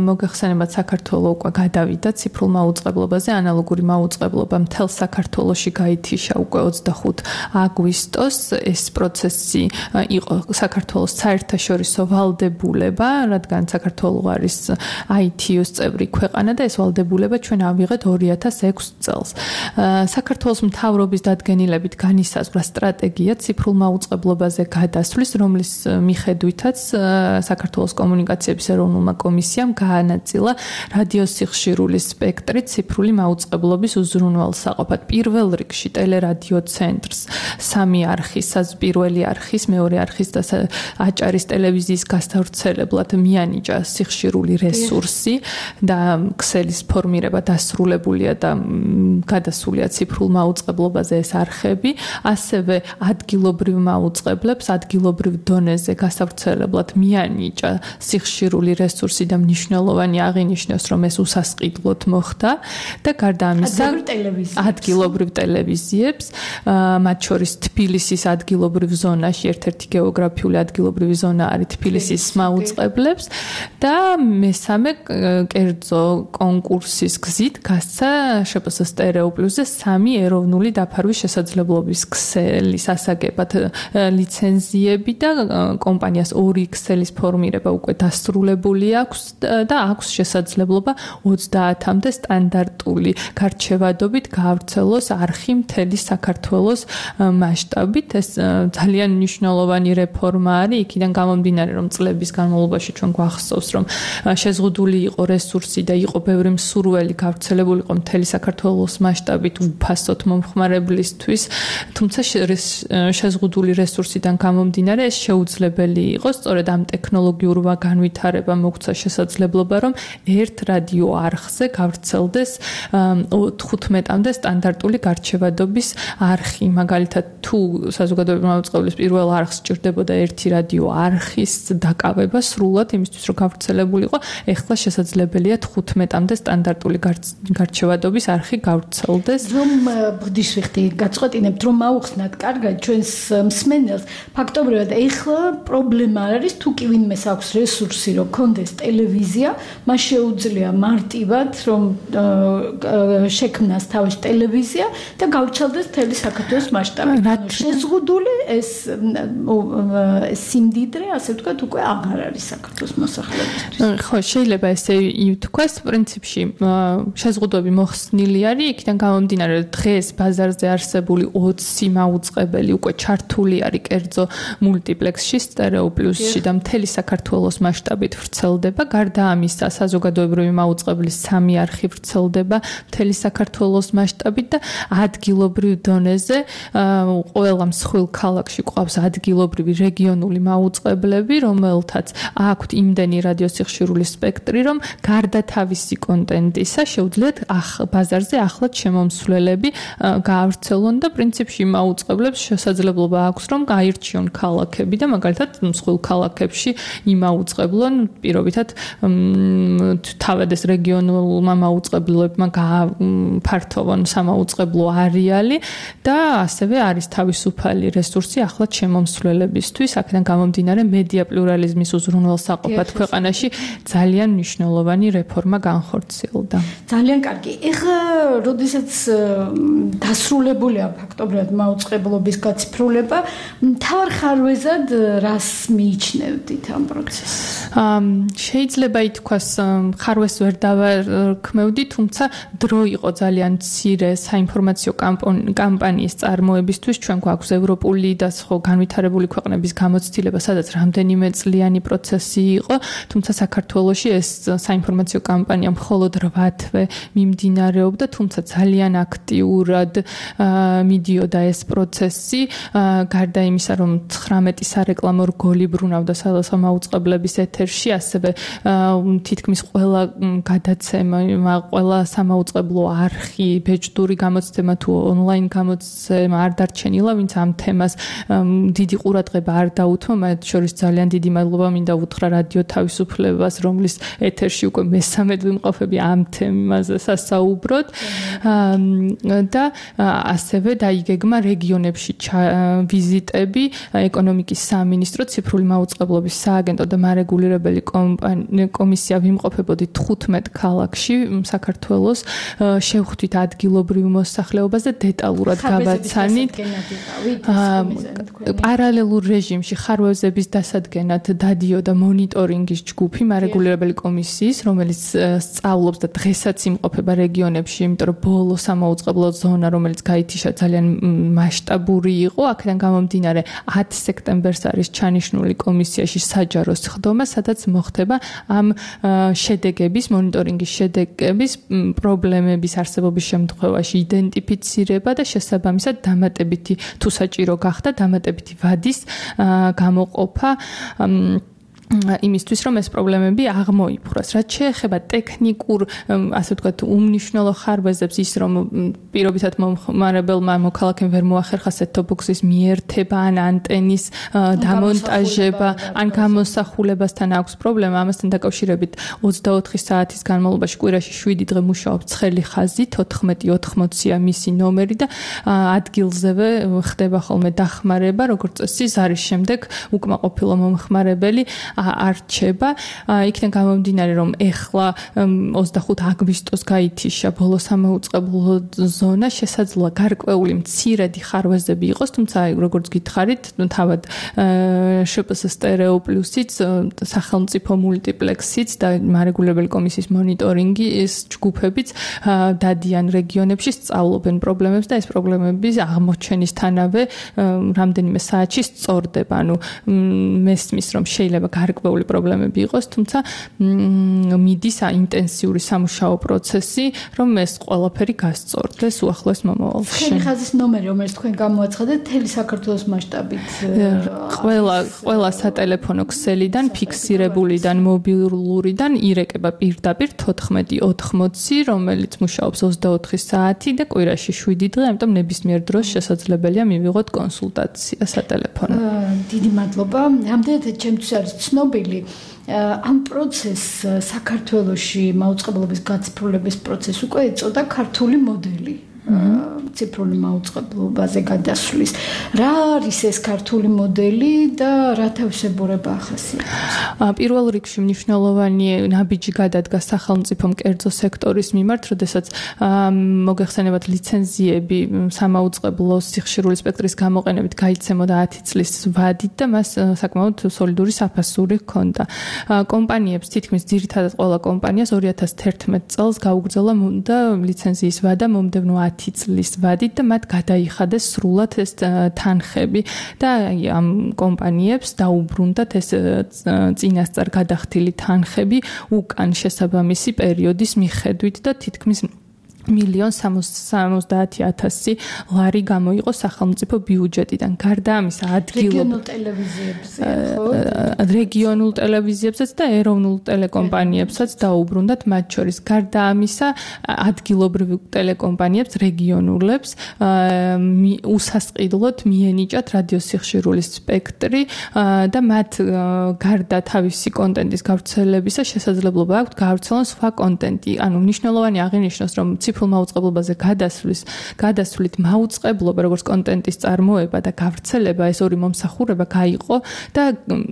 მოგეხსენებათ, საქართველო უკვე გადავიდა ციფრულ მაუწყებლობაზე, ანალოგური მაუწყებლობა მთელ საქართველოში გაითიშა უკვე ოცდახუთი აგვისტოს. ეს პროცესი იყო საქართველოს საერთაშორისო ვალდებულება, რადგან საქართველო არის აი თი იუს წევრი ქვეყანა და ეს ვალდებულება ჩვენ ავიღეთ ორი ათას ექვსი წელს. საქართველოს მთავრობის დადგენილებით განისაზღვრა სტრატეგია ციფრულ მაუწყებლობაზე გადასვლის, რომლის მიხედვითაც საქართველოს კომუნიკაციების ეროვნულმა კომისიამ გაანაწილა რადიოსიხშირული სპექტრი ციფრული მაუწყებლობის უზრუნველსაყოფად. პირველ რიგში ტელერადიო ცენტრს, სამი არხის, პირველი არხის, მეორე არხის და აჭარის ტელევიზიის გასავრცელებლად მიანიჭა სიხშირული რესურსი და ქსელის ფორმირება დასრულებულია და გადასულია ციფრულ მაუწყებლობაზე ეს არხები, ასევე ადგილობრივ მაუწყებლებს ადგილობრივ დონეზე გასავრცელებლად მიანიჭა სიხშირული რესურსი და მნიშვნელოვანი აღინიშნოს, რომ ეს უსასყიდლოდ მოხდა და გარდა ამისა ადგილობრივ ტელევიზიებს, მათ შორის თბილისის ადგილობრივ ზონაში ერთ-ერთი გეოგრაფიული ადგილობრივი ზონა არის თბილისის მაუწყებლებს და მესამე კერძო კონკურსის გზით გასცა შპს სტერეო პლუსზე სამი ეროვნული დაფარვის შესაძლებლობის ქსელის ასაგებად ლიცენზიები და კომპანიას ორი ქსელის ფორმირება უკვე დასრულებული აქვს და აქვს შესაძლებლობა ოცდაათამდე სტანდარტული გარჩევადობით გაავრცელოს არხი მთელი საქართველოს მასშტაბით. ეს ძალიან მნიშვნელოვანი რეფორმა არის, იქიდან გამომდინარე, რომ წლების განმავლობაში ჩვენ გვახსოვს, რომ შეზღუდული იყო რესურსი და იყო ბევრი მსურველი გავრცელებული იყო მთელი საქართველოს მასშტაბით უფასოდ მომხმარებლისთვის, თუმცა შეზღუდული რესურსიდან გამომდინარე ეს შეუძლებელი იყო, სწორედ ამ ტექნოლოგიურ განვითარებამ მოგცა შესაძლებლობა, რომ ერთ რადიო არხზე გავრცელდეს თხუთმეტამდე სტანდარტული გარჩევადობის არხი. მაგალითად, თუ საზოგადოებრივი მაუწყებლის პირველ არხს სჭირდებოდა ერთი რადიო არხის დაკავება სრულად იმისთვის, რომ გავრცელებულიყო, ეხლა შესაძლებელია თხუთმეტამდე სტანდარტული გარჩევადობის არხი გავრცელდეს. რომ ბღდის ვიხდი, გაწყვეტინებთ, რომ აუხსნათ კარგად ჩვენს მსმენელს, ფაქტობრივად ეხლა პრობლემა არ არის, თუ კი ვინმეს აქვს რესურსი, რომ კონდეს ტელევიზია, მას შეუძლია მარტივად, რომ შექმნას თავის ტელევიზია და გავრცელდეს მთელი საქართველოს მასშტაბით. შეზღუდული ეს სიმდიდრე, ასე ვთქვათ, უკვე აღარ არის საქართველოს მოსახლეობისთვის. ხო, შეიძლება ესე ითქვას, პრინციპში შეზღუდვები მოხსნილი არის, იქიდან გამომდინარე, რომ დღეს ბაზარზე არსებული ოცი მაუწყებელი უკვე ჩართული არის კერძო მულტიპლექსში, სტერეო პლუსში და მთელი საქართველოს მასშტაბით ვრცელდება. გარდა ამისა, საზოგადოებრივი მაუწყებლის სამი არხი ვრცელდება მთელი საქართველოს მასშტაბით და ადგილობრივ დონეზე ყველა მსხვილ ქალაქში ყავს ადგილობრივი რეგიონული მაუწყებლები, რომელთაც აქვთ იმდენი რადიოსიხშირული სპექტრი, რომ გარდა თავისი კონტენტისა შეუძლიათ ბაზარზე ახლად შემომსვლელები გაავრცელონ და პრინციპში მაუწყებლებს შესაძლებლობა აქვს, რომ გაირჩიონ ქალაქები და მაგალითად მსხვილ ქალაქებში იმაუწყებლონ პირობითად თავად ეს რეგიონულმა მაუწყებლებმა გააფართოვონ სამაუწყებლო არეალი და ასევე არის თავისუფალი რესურსი ახლად შემომსვლელებისთვის. აქედან გამომდინარე მედია პლურალიზმის უზრუნველსაყოფად ქვეყანაში ძალიან მნიშვნელოვანი რეფორმა განხორციელდა. ძალიან კარგი. ეხლა როდესაც დასრულებულია ფაქტობრივად მაუწყებლობის გაციფრულება, მთავარ ხარვეზად რას მიიჩნევდით ამ პროცესს? შეიძლება ითქვას, ხარვეს ვერ დავარქმევდი, თუმცა დრო იყო ძალიან მცირე საინფორმაციო კამპანიის წარმოებისთვის. ჩვენ გვაქვს ევროპული და სხვა განვითარებული ქვეყნების გამოცდილება, სადაც რამდენიმე წლიანი პროცესი იყო, თუმცა საქართველოში ეს საინფორმაციო კამპანია მხოლოდ რვა თვე მიმდინარეობდა, თუმცა ძალიან აქტიურად მიდიოდა ეს პროცესი. გარდა იმისა, რომ ცხრამეტი სარეკლამო რგოლი ბრუნავდა სამაუწყებლების ეთერში, ასევე თითქმის ყველა გადაცემა, ყველა სამაუწყებლო არხი, ბეჭდური გამოცემა თუ ონლაინ გამოცემა არ დარჩენილა, ვინც ამ თემას დიდი ყურადღება არ დაუთმო, მათ შორის ძალიან დიდი მადლობა მინდა უთხრა რადიო თავისუფლებას, რომლის ეთერში უკვე მესამედ ვიმყოფები ამ თემაზე სასაუბროდ და ასევე დაიგეგმა რეგიონებში ვიზიტები, ეკონომიკის სამინისტრო, ციფრული მაუწყებლობის სააგენტო და მარეგულირებელი კომისია ვიმყოფებოდი თხუთმეტ ქალაქში საქართველოს, შევხვდით ადგილობრივ მოსახლეობას და დეტალურად გავაცანით პარალელურ რეჟიმში ხარვეზების დასადგენად დადიოდა მონიტორინგის ჯგუფი მარეგულირებელი კომისიის, რომელიც სწავლობს და დღესაც იმყოფება რეგიონებში, იმიტომ რომ ბოლო სამაუწყებლო ზონა, რომელიც გაითიშა ძალიან მასშტაბური იყო, აქედან გამომდინარე ათი სექტემბერს არის ჩანიშნული კომისიაში საჯარო სხდომა, სადაც მოხდება ამ შედეგების, მონიტორინგის შედეგების პრობლემების არსებობის შემთხვევაში იდენტიფიცირება და შესაბამისად დამატებითი თუ საჭირო გახდა დამატებითი ვადის გამოყოფა იმისთვის რომ ეს პრობლემები აღმოიფხვრას. რაც შეეხება ტექნიკურ, ასე ვთქვათ, უმნიშვნელო ხარბეზებს, ის რომ პირობითად მომხმარებელმა მოქალაქემ ვერ მოახერხა set-top-box-ის მიერთება ან ანტენის დამონტაჟება, ან გამოსახულებასთან აქვს პრობლემა, ამასთან დაკავშირებით ოცდაოთხი საათის განმავლობაში კვირაში შვიდი დღე მუშაობს ცხელი ხაზით, ოთხმეტი ოთხმოცია მისი ნომერი და ადგილზევე ხდება ხოლმე დახმარება, როგორც წესი, ზარის შემდეგ უკმაყოფილო მომხმარებელი არჩება. იქიდან გამომდინარე, რომ ეხლა ოცდახუთი აგვისტოს გაითიშა ბოლო სამოუწყებლო ზონა, შესაძლოა გარკვეული მცირედი ხარვეზები იყოს, თუმცა როგორც გითხარით, თავად შპს სტერეო პლუსიც, სახელმწიფო მულტიპლექსიც და მარეგულირებელი კომისიის მონიტორინგის ჯგუფებიც დადიან რეგიონებში, სწავლობენ პრობლემებს და ეს პრობლემები აღმოჩენისთანავე რამდენიმე საათში სწორდება. ანუ მესმის, რომ შეიძლება გარკვეული პრობლემები იყოს, თუმცა მიდის ინტენსიური სამუშაო პროცესი, რომ ეს ყველაფერი გასწორდეს უახლოეს მომავალში. ცხელი ხაზის ნომერი, რომელიც თქვენ გამოაცხადეთ, მთელი საქართველოს მასშტაბით. ყველა ყველა სატელეფონო ქსელიდან, ფიქსირებულიდან, მობილურიდან ირეკება პირდაპირ თოთხმეტი ოთხმოცი, რომელიც მუშაობს ოცდაოთხი საათი და კვირაში შვიდი დღე, ამიტომ ნებისმიერ დროს შესაძლებელია მივიღოთ კონსულტაცია სატელეფონო. დიდი მადლობა. რამდენად ჩემთვის არის ცნობილი ამ პროცესს საქართველოში მაუწყებლობის გაციფრულების პროცესს უკვე ეწოდა ქართული მოდელი. ციფრული მაუწყებლობაზე გადასვლის. რა არის ეს ქართული მოდელი და რა თავისებურება ახასიათებს? პირველ რიგში მნიშვნელოვანი ნაბიჯი გადადგა სახელმწიფო კერძო სექტორის მიმართ, როდესაც მოგეხსენებათ ლიცენზიები სამაუწყებლო სიხშირული სპექტრის გამოყენებით გაიცემოდა ათი წლის ვადით და მას საკმაოდ სოლიდური საფასური ჰქონდა. კომპანიებს თითქმის ძირითადად ყველა კომპანიას ორი ათას თერთმეტი წელს გაუგრძელა და ლიცენზიის ვადა მომდევნო ათი წლის ვადით და მათ გადაიხადეს სრულად ეს თანხები და ამ კომპანიებს დაუბრუნდათ ეს წინასწარ გადახდილი თანხები უკან შესაბამისი პერიოდის მიხედვით და თითქმის მილიონ სამოცდაათი ათასი ლარი გამოიყო სახელმწიფო ბიუჯეტიდან. გარდა ამისა, ადგილობრივ ტელევიზიებზე, რეგიონულ ტელევიზიებსაც და ეროვნულ ტელეკომპანიებსაც დაუბრუნდათ მათ შორის. გარდა ამისა, ადგილობრივ ტელეკომპანიებს, რეგიონულებს უსასყიდლოდ მიენიჭათ რადიოსიხშირულის სპექტრი და მათ გარდა თავისი კონტენტის გავრცელებისა შესაძლებლობა აქვთ გავრცელონ სხვა კონტენტი. ანუ მნიშვნელოვანი აღინიშნოს, რომ ციფრულ მაუწყებლობაზე გადასვლის, გადასვლით მაუწყებლობა, როგორც კონტენტის წარმოება და გავრცელება, ეს ორი მომსახურება გაიყო და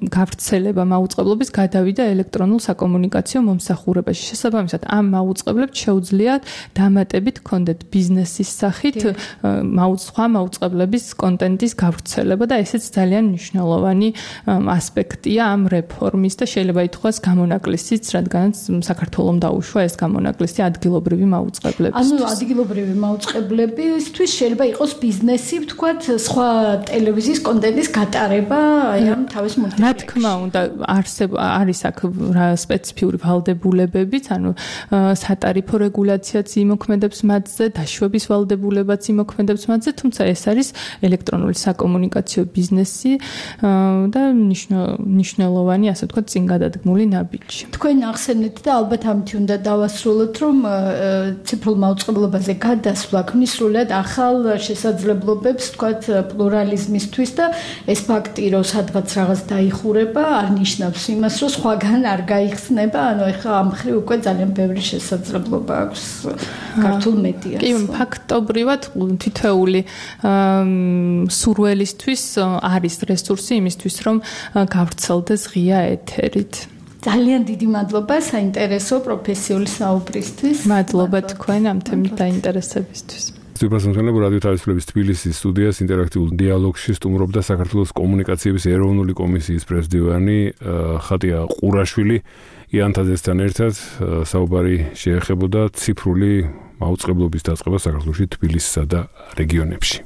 გავრცელება მაუწყებლობის გადავიდა ელექტრონულ საკომუნიკაციო მომსახურებაში. შესაბამისად, ამ მაუწყებლებს შეუძლიათ დამატებით ჰქონდეთ ბიზნესის სახით სხვა მაუწყებლების კონტენტის გავრცელება და ესეც ძალიან მნიშვნელოვანი ასპექტია ამ რეფორმის და შეიძლება ითქვას გამონაკლისიც, რადგანაც საქართველოს დაუშვა ეს გამონაკლისი ადგილობრივი მაუწყებლები. ანუ ადგილობრივი მაუწყებლებისთვის შეიძლება იყოს ბიზნესი, ვთქვათ, სხვა ტელევიზიის კონტენტის გატარება, აი ამ თავის მულტიპლექსში. რა თქმა უნდა, არსებ არის აქ სპეციფიური ვალდებულებებიც, ანუ სატარიფო რეგულაციაც იმოქმედებს მათზე, დაშვების ვალდებულებაც იმოქმედებს მათზე, თუმცა ეს არის ელექტრონული საკომუნიკაციო ბიზნესი და მნიშვნელოვანი, ასე ვთქვათ, წინგადადგმული ნაბიჯი. თქვენ ახსენეთ და ალბათ ამით უნდა დავასრულოთ, რომ ციფრულ მაუწყებლობაზე გადასვლა ქმნის სრულად ახალ შესაძლებლობებს, ვთქვათ, პლურალიზმისთვის და ეს ფაქტი, რომ სადღაც რაღაც დაიხურება, არ ნიშნავს იმას, რომ სხვაგან არ გაიხსნება, ანუ ეხლა ამ მხრივ უკვე ძალიან ბევრი შესაძლებლობა აქვს ქართულ მედიას. კი, ფაქტობრივად თითოეული სურველისთვის არის რესურსი იმისთვის, რომ გავრცელდეს ღია ეთერით. ძალიან დიდი მადლობა საინტერესო პროფესიული საუბრისთვის. მადლობა თქვენ ამ თემით დაინტერესებისთვის. სტუდიასმენელები რადიო თავისუფლების თბილისის სტუდიას ინტერაქტიულ დიალოგში სტუმრობდა საქართველოს კომუნიკაციების ეროვნული კომისიის პრეზიდენტი ხატია ყურაშვილი. იანთაძესთან ერთად საუბარი შეეხებოდა ციფრული მაუწყებლობის დაწყებას საქართველოში თბილისსა და რეგიონებში.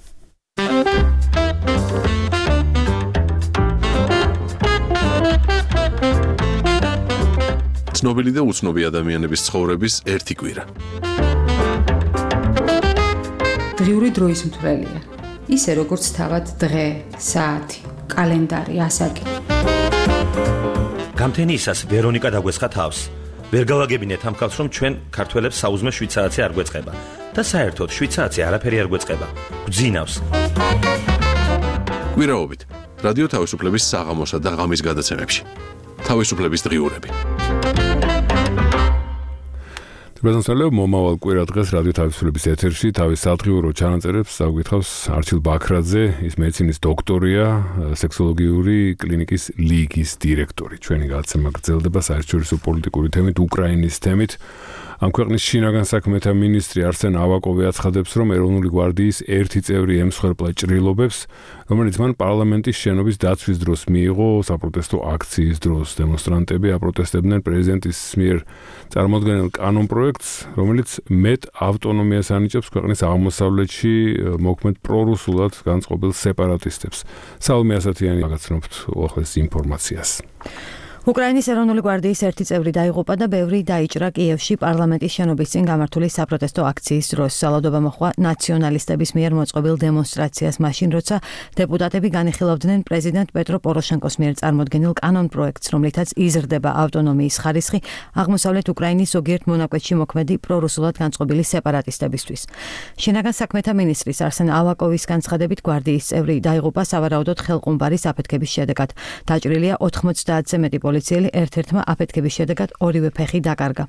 ცნობილი და უცნობი ადამიანების ცხოვრების ერთი კვირა. დღიური დროის მთვრელია. ისე როგორც თავად დღე, საათი, კალენდარი, ასაკი. გამთენიისას ვერონიკა დაგვესხა თავს. ვერ გავაგებინეთ ამ ხალხს, რომ ჩვენ ქართველებს საუზმე შვიდ საათი არ გვეწყება და საერთოდ შვიდ საათი არაფერი არ გვეწყება. გვძინავს. გვირაობით რადიო თავისუფლების საღამოსა და ღამის გადაცემებში. თავისუფლების დღიურები. პრეზიდენტი მომავალ კვირა დღეს რადიო თავისუფლების ეთერში თავის სადღიურო ჩანაწერებს წაგვითხავს არჩილ ბაქრაძე, ის მეცინის დოქტორია, სექსოლოგიური კლინიკის ლიგის დირექტორი. ჩვენი გადაცემა გრძელდება საერთაშორისო პოლიტიკური თემით, უკრაინის თემით. ამ ქვეყნის შინაგან საქმეთა მინისტრი არსენ ავაკოვი აცხადებს, რომ ეროვნული გვარდიის ერთი წევრი ემსხვერპლა ჭრილობებს, რომელიც მან პარლამენტის შენობის დაცვის დროს მიიღო საპროტესტო აქციის დროს. დემონსტრანტები აპროტესტებდნენ პრეზიდენტის მიერ წარმოდგენილ კანონპროექტს, რომელიც მეტ ავტონომიას ანიჭებს ქვეყნის აღმოსავლეთში მოქმედ პრორუსულად განწყობილ სეპარატისტებს. საულმე ასათიანი გაგაცნობთ უახლეს ინფორმაციას. უკრაინის ეროვნული გვარდიის ერთი წევრი დაიღუპა და ბევრი დაიჭრა კიევში პარლამენტის შენობის წინ გამართული საპროტესტო აქციის დროს. სალადობა მოხდა ნაციონალისტების მიერ მოწყობილ დემონსტრაციას მაშინ, როცა დეპუტატები განიხილავდნენ პრეზიდენტ პეტრო პოროშენკოს მიერ წარმოდგენილ კანონპროექტს, რომლითაც იზრდება ავტონომიის ხარისხი აღმოსავლეთ უკრაინის ზოგიერთ მონაკვეთში მოქმედი პრორუსულად განწყობილი სეპარატისტებისთვის. შინაგან საქმეთა მინისტრის არსენ ავაკოვის განცხადებით, გვარდიის წევრი დაიღუპა სავარაუდოდ ხელყუმბარის აფეთქების შედეგად. დაჭრილია ოთხმოცდაათზე მეტი პოლიციელი, ერთ-ერთმა აფეთქების შედეგად ორივე ფეხი დაკარგა.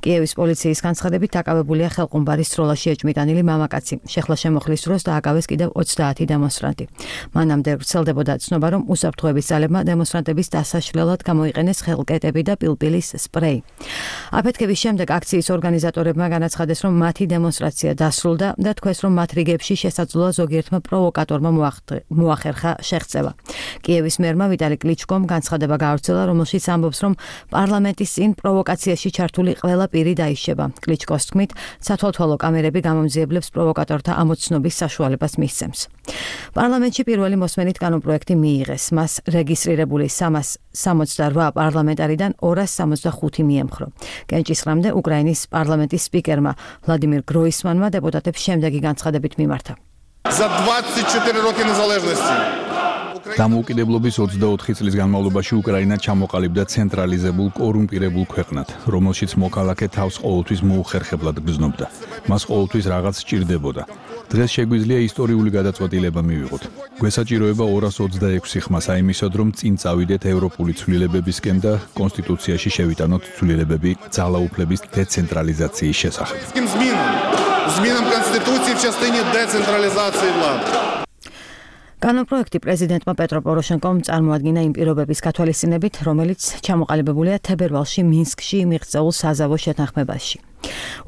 კიევის პოლიციის განცხადებით დაკავებულია ხელყუმბარის სროლაში ეჭმიტანილი მამაკაცი. შეხლა შემოხლის დროს დააკავეს კიდევ ოცდაათი დემონსტრანტი. მანამდე ვრცელდებოდა ცნობა, რომ უსაფრთხოების ძალებმა დემონსტრანტების დასაშლელად გამოიყენეს ხელკეტები და პილპილის სპრეი. აფეთქების შემდეგ აქციის ორგანიზატორებმა განაცხადეს, რომ მათი დემონსტრაცია დასრულდა და თქვეს, რომ მათ რიგებში შესაძლოა ზოგიერთმა პროვოკატორმა მოახერხა შეღწევა. კიევის მერმა ვიტალი კლიჩკომ განცხადება გაავრცელა, რომელშიც ამბობს, რომ პარლამენტის წინ პროვოკაციაში ჩართული ყველა პირი დაიშება. კლიჩკოს თქმით, სათვალთვალო კამერები გამომძიებლებს პროვოკატორთა ამოცნობის საშუალებას მისცემს. პარლამენტში პირველი მოსმენით კანონპროექტი მიიღეს. მას რეგისტრირებული სამას სამოცდარვა პარლამენტარიდან ორას სამოცდახუთი მიემხრო. კენჭისყრამდე უკრაინის პარლამენტის სპიკერმა ვლადიმირ გროისმანმა დეპუტატებს შემდეგი განცხადებით მიმართა. За двадцать четыре роки незалежности დამოუკიდებლობის ოცდაოთხი წლის განმავლობაში უკრაინა ჩამოყალიბდა ცენტრალიზებულ კორუმპირებულ ქვეყნად, რომელშიც მოქალაქე თავს ყოველთვის მოუხერხებლად გრძნობდა. მას ყოველთვის რაღაც სჭირდებოდა. დღეს შეგვიძლია ისტორიული გადაწყვეტილება მივიღოთ. გვესაჭიროება ორას ოცდაექვსი ხმა საიმისოდ, რომ წინ წავიდეთ ევროპული ცვლილებებისკენ და კონსტიტუციაში შევიტანოთ ცვლილებები ძალაუფლების დეცენტრალიზაციის შესახებ. Змінам Конституції в частині децентралізації влади. კანონპროექტი პრეზიდენტმა პეტრო პოროშენკომ წარმოადგინა იმ პირობების გათვალისწინებით, რომელიც ჩამოყალიბებულია თებერვალში მინსკში მიღწეულ საზავო შეთანხმებაში.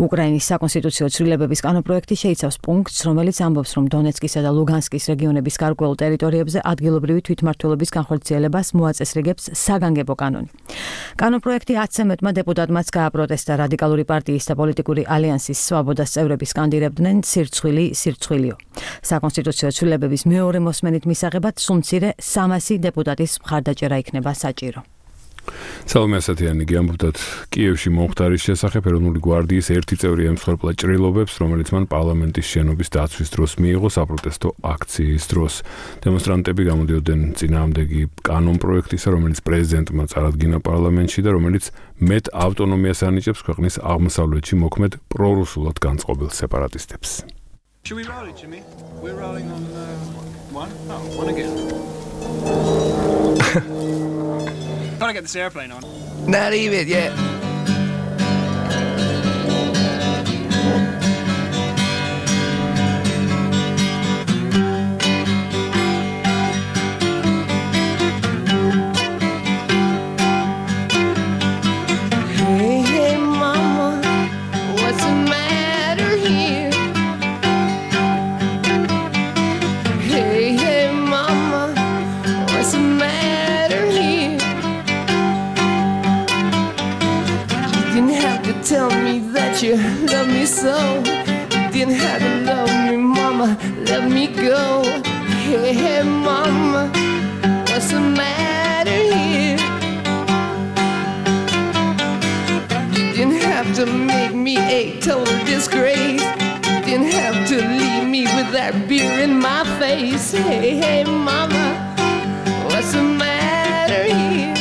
უკრაინის საკონსტიტუციო ცვლილებების კანონპროექტი შეიცავს პუნქტს, რომელიც ამბობს, რომ დონეცკისა და ლუგანსკის რეგიონების გარკვეულ ტერიტორიებზე ადგილობრივი თვითმმართველობის განხორციელებას მოაწესრიგებს საგანგებო კანონი. კანონპროექტი ათზე მეტმა დეპუტატმაც გააპროტესტა. რადიკალური პარტიის და პოლიტიკური ალიანსის სვაბოდას წევრები სკანდირებდნენ სირცხვილი სირცხვილიო. საკონსტიტუციო ცვლილებების მეორე მოსმენით მისაღებად სულ მცირე სამასი დეპუტატის მხარდაჭერა იქნება საჭირო. საულმე ასათიანი გიამბობდათ კიევში მომხდარის შესახებ. ეროვნული გვარდიის ერთი წევრი ემსხვერპლა ჭრილობებს, რომელიც მან პარლამენტის შენობის დაცვის დროს მიიღო საპროტესტო აქციის დროს. დემონსტრანტები გამოდიოდნენ წინააღმდეგი კანონპროექტისა, რომელიც პრეზიდენტმა წარადგინა პარლამენტში და რომელიც მეტ ავტონომიას ანიჭებს ქვეყნის აღმოსავლეთში მოქმედ პრორუსულად განწყობილ სეპარატისტებს. Should we roll it, Jimmy? We're rolling on uh, one? Oh, one again. Gotta get this airplane on. Not even yet. Hey, hey, mama, what's the matter here? Hey, hey, mama, what's the matter here? You didn't have to tell me that you love me so. You didn't have to love me, mama, let me go. Hey, hey, mama, what's the matter here? You didn't have to make me a total disgrace. You didn't have to leave me with that beer in my face. Hey, hey, mama, what's the matter here?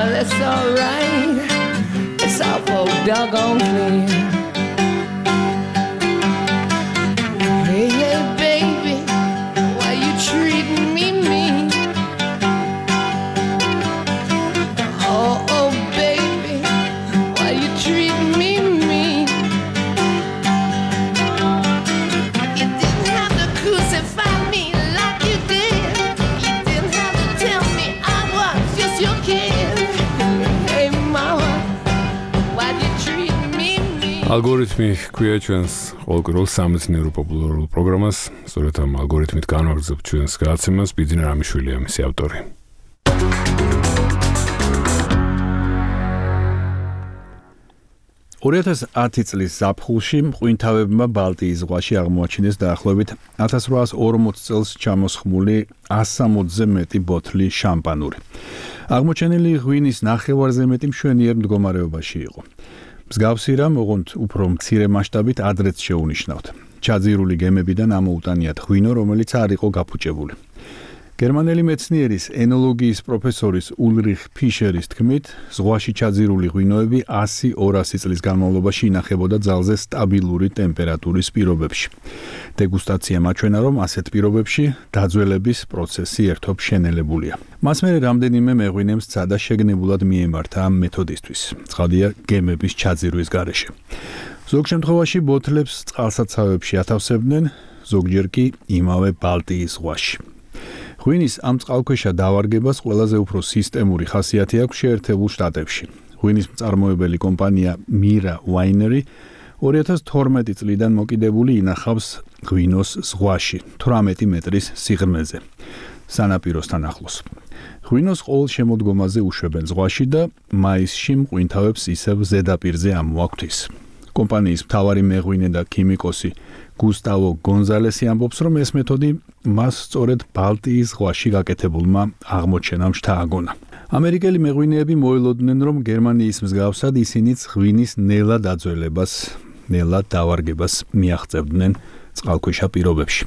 well, it's alright. It's awful doggone clear. Hey, hey, baby, why you treating me mean? Oh, oh, baby, why you treating me mean? You didn't have to crucify me like you did. You didn't have to tell me I was just your kid. Hey, mama, why you treat me mean? ალგორითმი ქვია ჩვენს ყოველკვირეულ სამეცნიერო პოპულარულ პროგრამას. სწორედ ამ ალგორითმით განვაგრძობთ ჩვენს გადაცემას. ბიძინა რამიშვილია მისი ავტორი. ორი ათას ათი წლის ზაფხულში მყინთავებმა ბალტიის ზღვაში აღმოაჩინეს დაახლოებით ათას რვაას ორმოც წელს ჩამოსხმული ასამოცზე მეტი ბოთლი შამპანური. აღმოჩენილი ღვინის ნახევარზე მეტი მშვენიერ მდგომარეობაში იყო. მსგავსი რამ, ოღონდ უფრო მცირე მასშტაბით ადრეც შეუნიშნავთ. ჩაძირული გემებიდან ამოუტანიათ ღვინო, რომელიც არ იყო გაფუჭებული. გერმანელი მეცნიერის ენოლოგიის პროფესორის ულრიხ ფიშერის თქმით, ზღვაში ჩაძირული ღვინოები ასი ორასი წლის განმავლობაში ინახებოდა ძალზე სტაბილური ტემპერატურის პირობებში. დეგუსტაცია მაჩვენა, რომ ასეთ პირობებში დაძველების პროცესი ერთობ შენელებულია. მას მერე რამდენიმე მეღვინემ სცადა შეგნებულად მიემართა ამ მეთოდისთვის. ცხადია, გემების ჩაძირვის გარეშე. ზოგ შემთხვევაში ბოთლებს წყალსაცავებში ათავსებდნენ, ზოგჯერ კი იმავე ბალტიის ზღვაში. ღვინის ამ წყალქვეშა დავარგებას ყველაზე უფრო სისტემური ხასიათი აქვს შეერთებულ შტატებში. ღვინის მწარმოებელი კომპანია Mira Winery ორი ათას თორმეტი წლიდან მოკიდებული ინახავს ღვინოს ზღვაში, თვრამეტი მეტრის სიღრმეზე, სანაპიროსთან ახლოს. ღვინოს ყოველ შემოდგომაზე უშვებენ ზღვაში და მაისში მყინთავებს ისევ ზედაპირზე ამოაქვთ. კომპანიის მთავარი მეღვინე და ქიმიკოსი გუსტავო გონზალესი ამბობს, რომ ეს მეთოდი მას სწორედ ბალტიის ზღვაში გაკეთებულმა აღმოჩენამ შთააგონა. ამერიკელი მეღვინეები მოელოდნენ, რომ გერმანიის მსგავსად ისინიც ღვინის ნელა დაძველებას, ნელა დავარგებას მიაღწევდნენ წყალქვეშა პირობებში.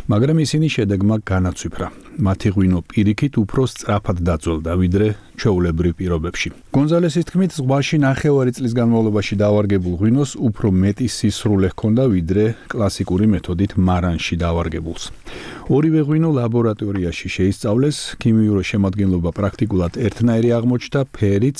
მაგრამ ისინი შედეგმა განაცვიფრა. მათი ღვინო პირიქით უფრო სწრაფად დაძველდა, ვიდრე ჩვეულებრივ პირობებში. გონზალესის თქმით, ზღვაში ნახევარი წლის განმავლობაში დავარგებულ ღვინოს უფრო მეტი სისრულე ჰქონდა, ვიდრე კლასიკური მეთოდით მარანში დავარგებულს. ორივე ღვინო ლაბორატორიაში შეისწავლეს, ქიმიური შემადგენლობა პრაქტიკულად ერთნაირი აღმოჩნდა, ფერიც,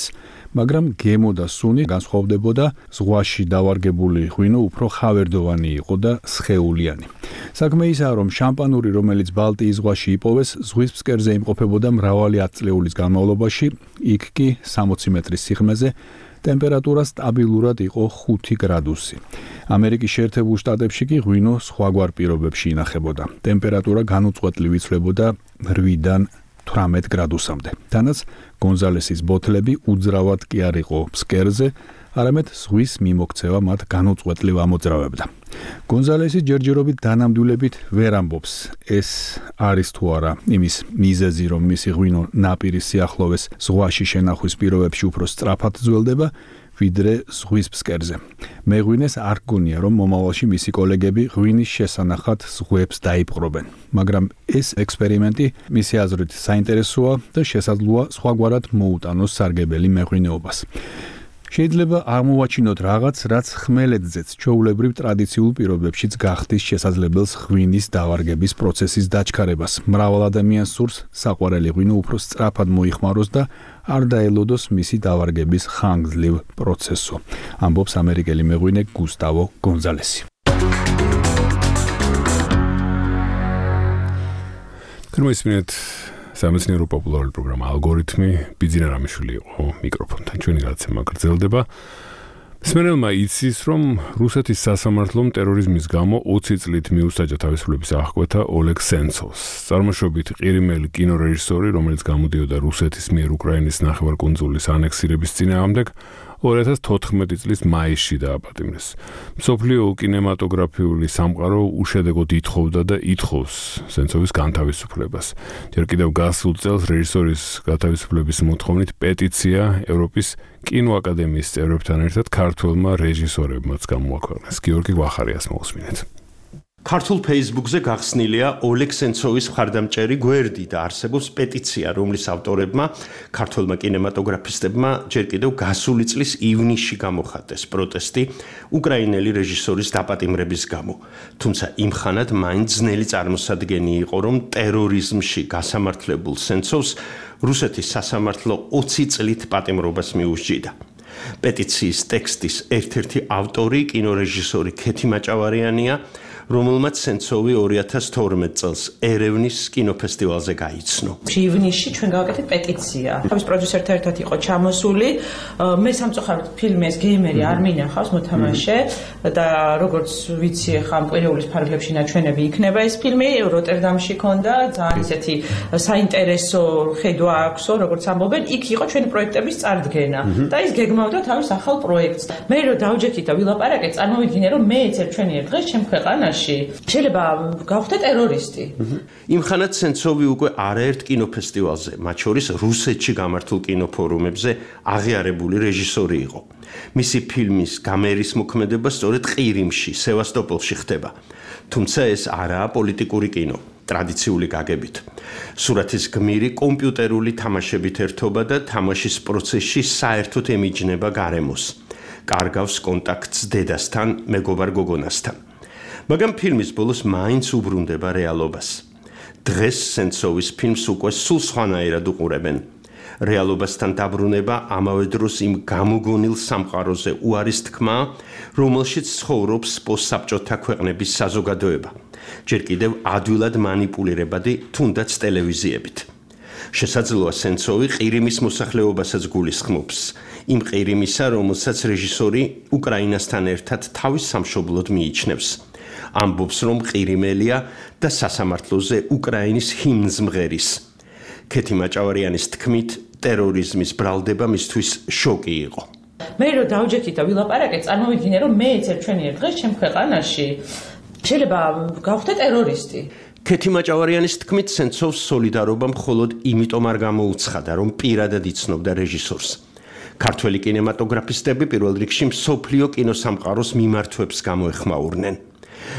მაგრამ გემო და სუნი განსხვავდებოდა, ზღვაში დავარგებული ღვინო უფრო ხავერდოვანი იყო და სხეულიანი. საქმე ისაა, რომ შამპანური, რომელიც ბალტიის ზღვაში იპოვეს, ზღვის ფსკერზე იმყოფებოდა მრავალი ათწლეულის განმავლობაში, იქ კი სამოცი მეტრის სიღრმეზე ტემპერატურა სტაბილურად იყო ხუთი გრადუსი. ამერიკის შეერთებულ შტატებში კი ღვინო სხვაგვარ პირობებში ინახებოდა. ტემპერატურა განუწყვეტლივ იცვლებოდა რვიდან თვრამეტ გრადუსამდე. თანაც გონზალესის ბოთლები უძრავად კი არ იყო ფსკერზე, არამედ ზღვის მიმოქცევა მათ განუწყვეტლივ ამოძრავებდა. გონზალესი ჯერჯერობით დანამდვილებით ვერ ამბობს, ეს არის თუ არა იმის მიზეზი, რომ მისი ღვინო ნაპირის სიახლოვეს ზღვაში შენახვის პირობებში უფრო სწრაფად ძველდება, ვიდრე ზღვის ფსკერზე. მეღვინეს არ გონია, რომ მომავალში მისი კოლეგები ღვინის შესანახად ზღვებს დაიპყრობენ. მაგრამ ეს ექსპერიმენტი მისი აზრით საინტერესოა და შესაძლოა სხვაგვარად მოუტანოს სარგებელი მეღვინეობას. შეიძლება აღმოვაჩინოთ რაღაც, რაც ხმელეთზეც ჩვეულებრივ ტრადიციულ პირობებშიც გახდის შესაძლებელს ღვინის დავარგების პროცესის დაჩქარებას. მრავალ ადამიანს სურს საყვარელი ღვინო უფრო სწრაფად მოიხმაროს და არ დაელოდოს მისი დავარგების ხანგრძლივ პროცესო. ამბობს ამერიკელი მეღვინე გუსტავო გონზალესი. გრმისმენთ სამეცნიერო პოპულარული პროგრამა ალგორითმი, ბიძინა რამიშვილი იყო მიკროფონთან. ჩვენი გადაცემა გრძელდება. მსმენელმა იცის, რომ რუსეთის სასამართლომ ტერორიზმის გამო ოცი წლით მიუსაჯა თავისუფლების აღკვეთა ოლეგ სენცოვს. წარმოშობით ყირიმელი კინორეჟისორი, რომელიც გამოდიოდა რუსეთის მიერ უკრაინის ნახევარკუნძულის ანექსირების წინააღმდეგ, ორი ათას თოთხმეტი წლის მაისში დააპატიმრეს. მსოფლიო კინემატოგრაფიული სამყარო უშედეგოდ ითხოვდა და ითხოვს სენცოვის განთავისუფლებას. ჯერ კიდევ გასულ წელს რეჟისორის განთავისუფლების მოთხოვნით პეტიცია ევროპის კინოაკადემიის წევრებთან ერთად ქართველმა რეჟისორებმაც გამოაქვეყნეს. გიორგი ვახარიას მოусმინეთ. ქართულ Facebook-ზე გახსნილია ოლეგ სენცოვის მხარდამჭერი გვერდი და არსებობს პეტიცია, რომლის ავტორებმა ქართველმა კინემატოგრაფისტებმა ჯერ კიდევ გასული წლის ივნისში გამოხატეს პროტესტი უკრაინელი რეჟისორის დაპატიმრების გამო. თუმცა იმ ხანად მაინც ძნელი წარმოსადგენი იყო, რომ ტერორიზმში გასამართლებულ სენცოვს რუსეთის სასამართლო ოცი წლით პატიმრობას მიუსჯიდა. პეტიციის ტექსტის ერთ-ერთი ავტორი კინორეჟისორი ქეთი მაჭავარიანია, რომელმაც სენცოვი ორი ათას თორმეტ წელს ერევნის კინოფესტივალზე გაიცნო. ივნისში ჩვენ გავაკეთეთ პეტიცია. თავის პროდიუსერთან ერთად იყო ჩამოსული. მე სამწუხაროდ ფილმი ეს გეიმერი არ მინახავს მოთამაშე და როგორც ვიცი ახლა კვირეულის ფარგლებში ნაჩვენები იქნება ეს ფილმი როტერდამში ქონდა ძალიან ისეთი საინტერესო ხედვა აქვსო როგორც ამბობენ იქ იყო ჩვენი პროექტების წარდგენა და ის გეგმავდა თავის ახალ პროექტს. მე რო დავჯექით და ვილაპარაკეთ წარმოვიდგინე რომ მე ეცერ ჩვენი ერთ დღეს ჩემ ქვეყანაში შეიძლება გავხდე ტერორისტი. იმ ხანად სენცოვი უკვე არაერთ კინოფესტივალზე, მათ შორის რუსეთში გამართულ კინოფორუმებზე აღიარებული რეჟისორი იყო. მისი ფილმის გამერის მოქმედება სწორედ ყირიმში, სევასტოპოლში ხდება. თუმცა ეს არაა პოლიტიკური კინო, ტრადიციული გაგებით. სურათის გმირი კომპიუტერული თამაშებით ერთობა და თამაშის პროცესში საერთოდ ემიჯნება გარემოს. კარგავს კონტაქტს დედასთან, მეგობარ გოგონასთან. მაგრამ ფილმის ბოლოს მაინც უბრუნდება რეალობას. დღეს სენცოვის ფილმს უკვე სულ სხვანაირად უყურებენ. რეალობასთან დაბრუნება ამავე დროს იმ გამოგონილ სამყაროზე უარის თქმა, რომელშიც ცხოვრობს პოსტსაბჭოთა ქვეყნების საზოგადოება. ჯერ კიდევ ადვილად მანიპულირებადი თუნდაც ტელევიზიებით. შესაძლოა სენცოვი ყირიმის მოსახლეობასაც გულისხმობს. იმ ყირიმისა, რომელსაც რეჟისორი უკრაინასთან ერთად თავის სამშობლოდ მიიჩნევს. ამბობს, რომ ყირიმელია და სასამართლოზე უკრაინის ჰიმნს მღერის. ქეთი მაჭავარიანის თქმით, ტერორიზმის ბრალდება მისთვის შოკი იყო. მე რო დავჯექით და ვილაპარაკეთ, წარმოვიდგინე რომ მე ეცერ ჩვენი ერთ დღეს ჩემ ქვეყანაში შეიძლება გავხდე ტერორისტი. ქეთი მაჭავარიანის თქმით, სენცოვს სოლიდარობა მხოლოდ იმიტომ არ გამოუცხადა, რომ პირადად იცნობდა რეჟისორს. ქართველი კინემატოგრაფისტები პირველ რიგში მსოფლიო კინოსამყაროს მიმართვებს გამოეხმაურნენ.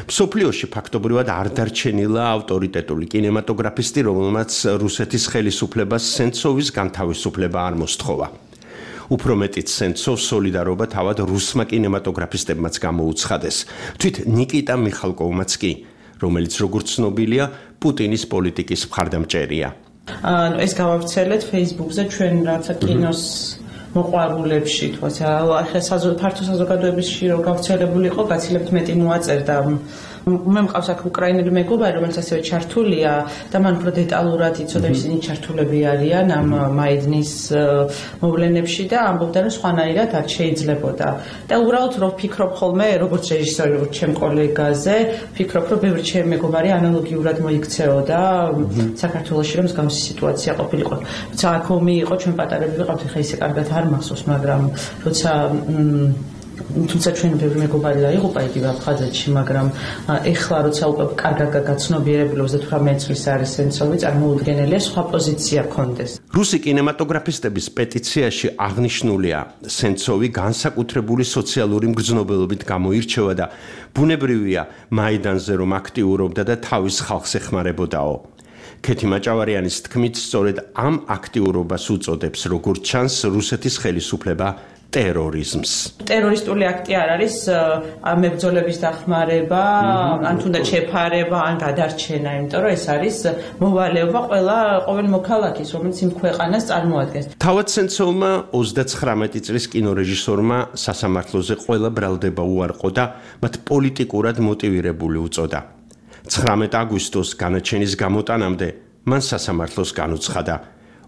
მსოფლიოში ფაქტობრივად არ დარჩენილა ავტორიტეტული კინემატოგრაფისტი, რომელმაც რუსეთის ხელისუფლებას სენცოვის განთავისუფლება არ მოსთხოვა. უფრო მეტიც სენცოვს სოლიდარობა თავად რუსმა კინემატოგრაფისტებმაც გამოუცხადეს. თვით ნიკიტა მიხალკოვმაც კი, რომელიც როგორც ცნობილია, პუტინის პოლიტიკის მხარდამჭერია. ანუ ეს გავავრცელეთ Facebook-ზე ჩვენ რაცა კინოს მოყვარულებში, თქოსა, ახლა ფართო საზოგადოებაში რო გავრცელებული იყო, გაცილებთ მეტი მოაწერდა. მე მყავს აქ უკრაინელი მეგობარი, რომელიც ასევე ჩართულია და მან უფრო დეტალურად იცოდა ისინი ჩართულები არიან ამ მაიდნის მოვლენებში და ამბობდა, რომ სხვანაირად არ შეიძლებოდა. და უბრალოდ რო ვფიქრობ ხოლმე, როგორც რეჟისორი, როგორც ჩემ კოლეგაზე, ვფიქრობ, რომ ბევრი ჩემი მეგობარი ანალოგიურად მოიქცეოდა საქართველოში, რომ მსგავსი სიტუაცია ყოფილიყო. თუმცა აქ ომი იყო, ჩვენ პატარები ვიყავთ, ხა ისე კარგად არ მახსოვს, მაგრამ როცა თუმცა ჩვენ ბევრი მეგობარი დაიღუპა იგივე აფხაზეთში, მაგრამ ეხლა როცა უკვე კარგად გაცნობიერებული ოცდათვრამეტ წლის არის სენცოვი, წარმოუდგენელია სხვა პოზიცია კონდეს. რუსი კინემატოგრაფისტების პეტიციაში აღნიშნულია, სენცოვი განსაკუთრებული სოციალური მგრძნობელობით გამოირჩევა და ბუნებრივია მაიდანზე რომ აქტიურობდა და თავის ხალხს ეხმარებოდაო. ქეთი მაჭავარიანის თქმით, სწორედ ამ აქტიურობას უწოდებს, როგორც ჩანს, რუსეთის ხელისუფლება ტერორიზმს. ტერორისტული აქტი არ არის მებრძოლების დახმარება, ან თუნდაც შეფარება, ან გადარჩენა, იმიტომ რომ ეს არის მოვალეობა ყველა ყოველ მოქალაქის, რომელიც იმ ქვეყანას წარმოადგენს. თავად სენცოვმა ოცდაცხრამეტი წლის კინორეჟისორმა სასამართლოზე ყველა ბრალდება უარყო და მათ პოლიტიკურად მოტივირებული უწოდა. ცხრამეტ აგვისტოს განაჩენის გამოტანამდე მან სასამართლოს განუცხადა,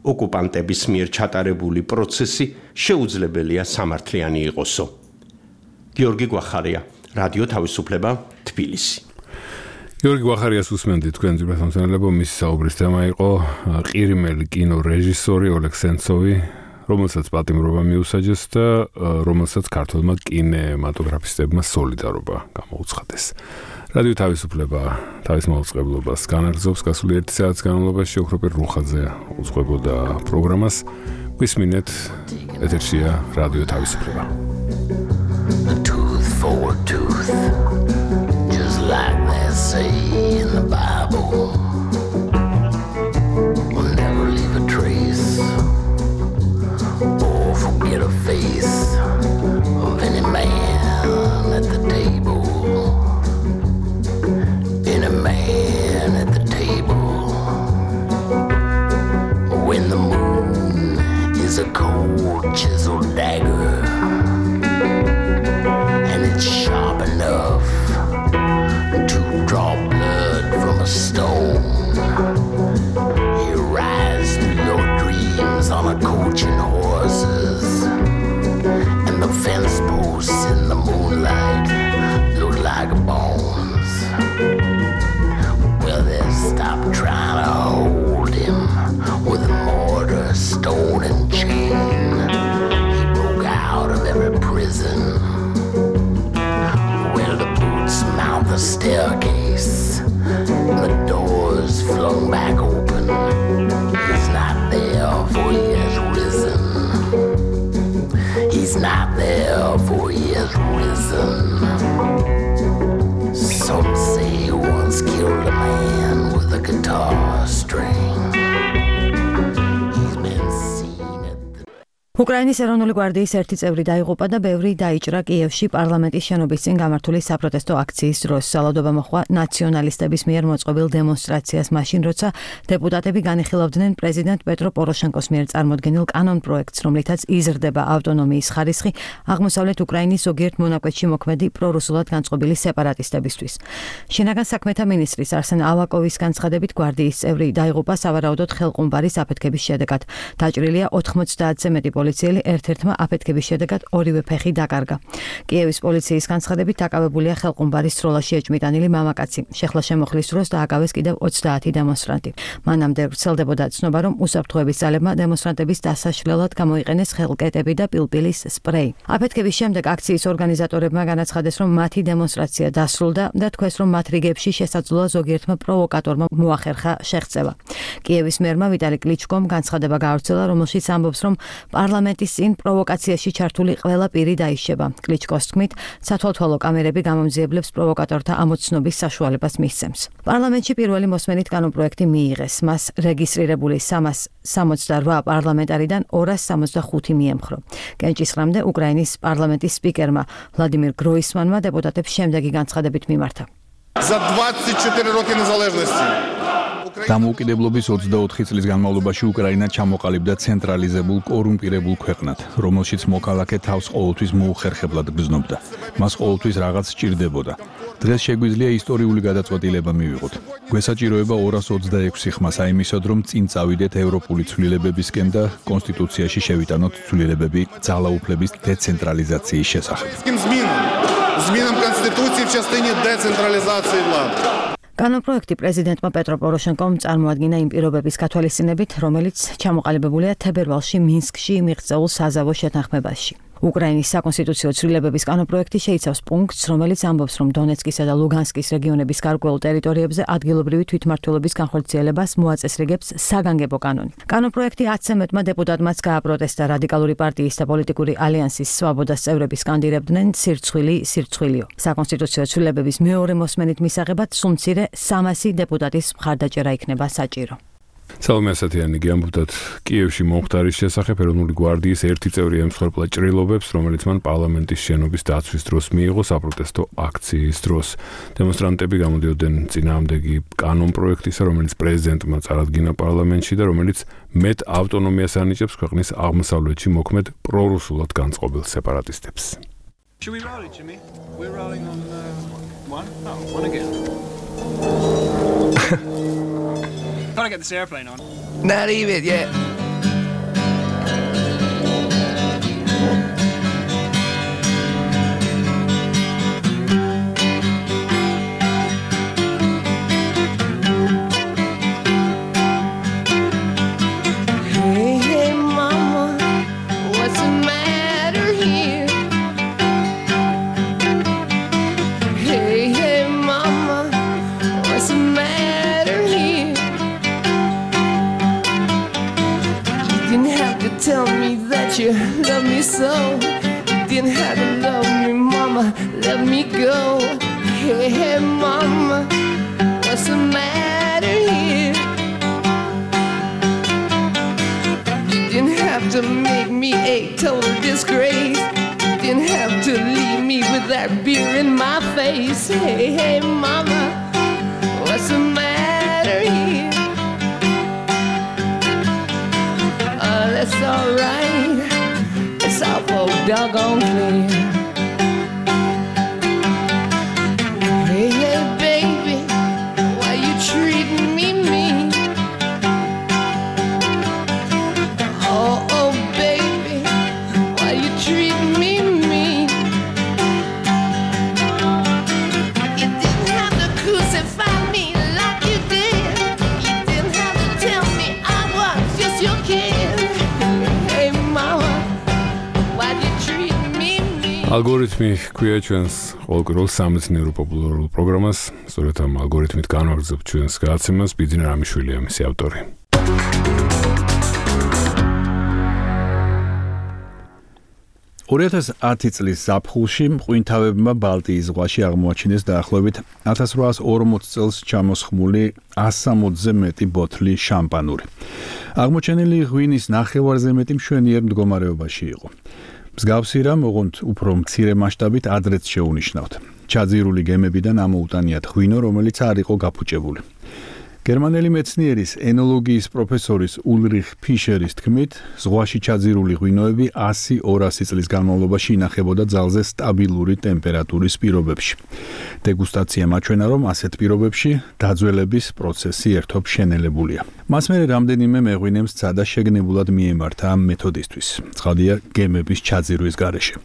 ოკუპანტების მიერ ჩატარებული პროცესი შეუძლებელია სამართლიანი იყოსო. გიორგი გვახარია, რადიო თავისუფლება, თბილისი. გიორგი გვახარიას უსმენთ თქვენ ძირფასმცემელებო, მისი საუბრის თემა იყო ყირიმელი კინორეჟისორი ოლეგ სენცოვი, რომელსაც პატიმრობა მიუსაჯეს და რომელსაც ქართველმა კინემატოგრაფისტებმა სოლიდარობა გამოუცხადეს. რადიო თავისუფლება თავის მაუწყებლობას განაგრძობს გასული ერთი საათის განმავლობაში ოქროპირ რუხაძე უძღვებოდა პროგრამას. გვისმინეთ, ეთერშია რადიო თავისუფლება. A tooth for a tooth, just like this. a prison where the boots mount the staircase, the doors flung back open. He's not there, for he has risen. He's not there, for he has risen. Some say he once killed a man with a guitar string. უკრაინის ეროვნული გვარდიის ერთი წევრი დაიღუპა და ბევრი დაიჭრა კიევში პარლამენტის შენობის წინ გამართული საპროტესტო აქციის დროს. სალადობა მოხდა ნაციონალისტების მიერ მოწყობილ დემონსტრაციას მაშინ, როცა დეპუტატები განიხილავდნენ პრეზიდენტ პეტრო პოროშენკოს მიერ წარმოდგენილ კანონპროექტს, რომლითაც იზრდება ავტონომიის ხარისხი აღმოსავლეთ უკრაინის ზოგიერთ მონაკვეთში მოქმედი პრორუსულად განწყობილი სეპარატისტებისთვის. შინაგან საქმეთა მინისტრის არსენ ავაკოვის განცხადებით, გვარდიის წევრი დაიღუპა სავარაუდოდ ხელყუმბარის აფეთქების შედეგად. დაჭრილია ოთხმოცდაათზე მეტი პოლიციელი, ერთ-ერთმა აფეთქების შედეგად ორივე ფეხი დაკარგა. კიევის პოლიციის განცხადებით დაკავებულია ხელყუმბარის სროლაში ეჭმიტანილი მამაკაცი. შეხლა შემოხლის დროს დააკავეს კიდევ ოცდაათი დემონსტრანტი. მანამდე ვრცელდებოდა ცნობა, რომ უსაფრთხოების ძალებმა დემონსტრანტების დასაშლელად გამოიყენეს ხელკეტები და პილპილის სპრეი. აფეთქების შემდეგ აქციის ორგანიზატორებმა განაცხადეს, რომ მათი დემონსტრაცია დასრულდა და თქვეს, რომ მათ რიგებში შესაძლოა ზოგიერთმა პროვოკატორმა მოახერხა შეღწევა. კიევის მერმა ვიტალი კლიჩკომ განცხადება გაავრცელა, რომელშიც ამბობს, რომ პარლამენტის წინ პროვოკაციაში ჩართული ყველა პირი დაიშება. კლიჩკოს თქმით, სათვალთვალო კამერები გამომძიებლებს პროვოკატორთა ამოცნობის საშუალებას მისცემს. პარლამენტში პირველი მოსმენით კანონპროექტი მიიღეს. მას რეგისტრირებული სამას სამოცდარვა პარლამენტარიდან ორას სამოცდახუთი მიემხრო. კენჭისყრამდე უკრაინის პარლამენტის სპიკერმა ვლადიმირ გროისმანმა დეპუტატებს შემდეგი განცხადებით მიმართა. За двадцать четыре роки незалежности. დამოუკიდებლობის ოცდაოთხი წლის განმავლობაში უკრაინა ჩამოყალიბდა ცენტრალიზებულ კორუმპირებულ ქვეყნად, რომელშიც მოქალაქე თავს ყოველთვის მოუხერხებლად გრძნობდა. მას ყოველთვის რაღაც სჭირდებოდა. დღეს შეგვიძლია ისტორიული გადაწყვეტილება მივიღოთ. გვესაჭიროება ორას ოცდაექვსი ხმა საიმისოდ, რომ წინ წავიდეთ ევროპული ცვლილებებისკენ და კონსტიტუციაში შევიტანოთ ცვლილებები ძალაუფლების დეცენტრალიზაციის შესახებ. Змінам Конституції в частині децентралізації влади. კანონპროექტი პრეზიდენტმა პეტრო პოროშენკომ წარმოადგინა იმ პირობების გათვალისწინებით, რომელიც ჩამოყალიბებულია თებერვალში მინსკში მიღწეულ საზავო შეთანხმებაში. უკრაინის საკონსტიტუციო ცვლილებების კანონპროექტი შეიცავს პუნქტს, რომელიც ამბობს, რომ დონეცკისა და ლუგანსკის რეგიონების გარკვეულ ტერიტორიებზე ადგილობრივი თვითმმართველობის განხორციელებას მოაწესრიგებს საგანგებო კანონი. კანონპროექტი ათზე მეტმა დეპუტატმაც გააპროტესტა. რადიკალური პარტიის და პოლიტიკური ალიანსის სვაბოდას წევრები სკანდირებდნენ სირცხვილი სირცხვილიო. საკონსტიტუციო ცვლილებების მეორე მოსმენით მისაღებად სულ მცირე სამასი დეპუტატის მხარდაჭერა იქნება საჭირო. სალომე ასათიანი გიამბობდათ კიევში მომხდარის შესახებ ეროვნული გვარდიის ერთი წევრი ემსხვერპლა ჭრილობებს, რომელიც მან პარლამენტის შენობის დაცვის დროს მიიღო საპროტესტო აქციის დროს. დემონსტრანტები გამოდიოდნენ წინააღმდეგი კანონპროექტისა, რომელიც პრეზიდენტმა წარადგინა პარლამენტში და რომელიც მეტ ავტონომიას ანიჭებს ქვეყნის აღმოსავლეთში მოქმედ პრორუსულად განწყობილ სეპარატისტებს. Should we roll it, Jimmy? We're rolling on uh, one. Oh, one again. Gotta get this airplane on. Not even yet. Hey, hey, mama, what's the matter here? Hey, hey, mama, what's the matter here? Didn't have to tell me that you love me so. Didn't have to love me, mama, let me go. Hey, hey, mama, what's the matter here? You didn't have to make me a total disgrace. Didn't have to leave me with that beer in my face. Hey, hey, mama, what's the matter here? It's alright, it's awful doggone clear. Hey, hey, baby, why you treating me mean? Oh, oh, baby, why you treating me mean? You didn't have to crucify me like you did. You didn't have to tell me I was just your kid. Hey, mama, why you treat me ალგორითმი ქვია ჩვენს ყოველკვირეულ სამეცნიერო პოპულარულ პროგრამას. სწორედ ამ ალგორითმით განვაგრძობთ ჩვენს გადაცემას. ბიძინა რამიშვილია მისი ავტორი. ორი ათას ათი წლის ზაფხულში მყინთავებმა ბალტიის ზღვაში აღმოაჩინეს დაახლოებით ათას რვაას ორმოც წელს ჩამოსხმული ასამოცზე მეტი ბოთლი შამპანური. აღმოჩენილი ღვინის ნახევარზე მეტი მშვენიერ მდგომარეობაში იყო. მსგავსი რამ, ოღონდ უფრო მცირე მასშტაბით ადრეც შეუნიშნავთ. ჩაძირული გემებიდან ამოუტანიათ ღვინო, რომელიც არ იყო გაფუჭებული. გერმანელი მეცნიერის ენოლოგიის პროფესორის ულრიხ ფიშერის თქმით, ზღვაში ჩაძირული ღვინოები ასი ორასი წლის განმავლობაში ინახებოდა ძალზე სტაბილური ტემპერატურის პირობებში. დეგუსტაცია მაჩვენა, რომ ასეთ პირობებში დაძველების პროცესი ერთობ შენელებულია. მას მერე რამდენიმე მეღვინემ სცადა შეგნებულად მიემართა ამ მეთოდისთვის. ცხადია, გემების ჩაძირვის გარეშე.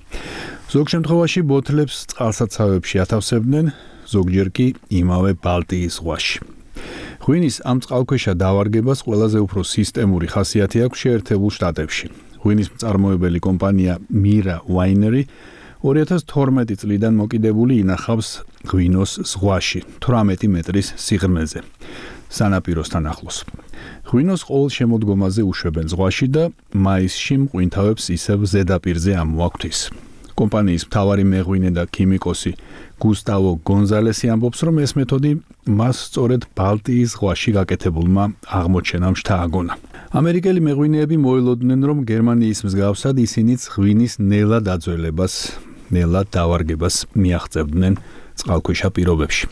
ზოგ შემთხვევაში ბოთლებს წყალსაცავებში ათავსებდნენ, ზოგჯერ კი იმავე ბალტიის ზღვაში. ღვინის ამ წყალქვეშა დავარგებას ყველაზე უფრო სისტემური ხასიათი აქვს შეერთებულ შტატებში. ღვინის მწარმოებელი კომპანია Mira Winery ორი ათას თორმეტი წლიდან მოკიდებული ინახავს ღვინოს ზღვაში, თვრამეტი მეტრის სიღრმეზე, სანაპიროსთან ახლოს. ღვინოს ყოველ შემოდგომაზე უშვებენ ზღვაში და მაისში მყინთავებს ისევ ზედაპირზე ამოაქვთ. კომპანიის მთავარი მეღვინე და ქიმიკოსი გუსტავო გონზალესი ამბობს, რომ ეს მეთოდი მას სწორედ ბალტიის ზღვაში გაკეთებულმა აღმოჩენამ შთააგონა. ამერიკელი მეღვინეები მოელოდნენ, რომ გერმანიის მსგავსად ისინიც ღვინის ნელა დაძველებას, ნელა დავარგებას მიაღწევდნენ წყალქვეშა პირობებში.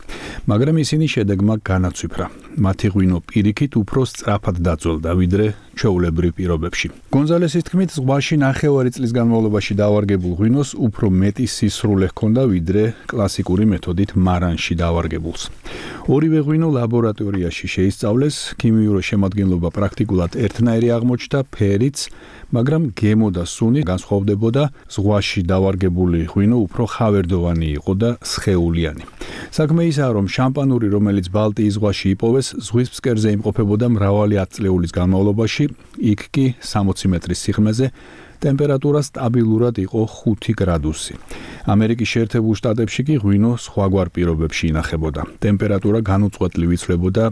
მაგრამ ისინი შედეგმა განაცვიფრა. მათი ღვინო პირიქით უფრო სწრაფად დაძველდა, ვიდრე ჩვეულებრივ პირობებში. გონზალესის თქმით, ზღვაში ნახევარი წლის განმავლობაში დავარგებულ ღვინოს უფრო მეტი სისრულე ჰქონდა, ვიდრე კლასიკური მეთოდით მარანში დავარგებულს. ორივე ღვინო ლაბორატორიაში შეისწავლეს, ქიმიური შემადგენლობა პრაქტიკულად ერთნაირი აღმოჩნდა, ფერიც, მაგრამ გემო და სუნი განსხვავდებოდა, ზღვაში დავარგებული ღვინო უფრო ხავერდოვანი იყო და სხეულიანი. საქმე ისაა, რომ შამპანური, რომელიც ბალტიის ზღვაში იპოვეს, ზღვის ფსკერზე იმყოფებოდა მრავალი ათწლეულის განმავლობაში, იქ კი სამოცი მეტრის სიღრმეზე ტემპერატურა სტაბილურად იყო ხუთი გრადუსი. ამერიკის შეერთებულ შტატებში კი ღვინო სხვაგვარ პირობებში ინახებოდა. ტემპერატურა განუწყვეტლივ იცვლებოდა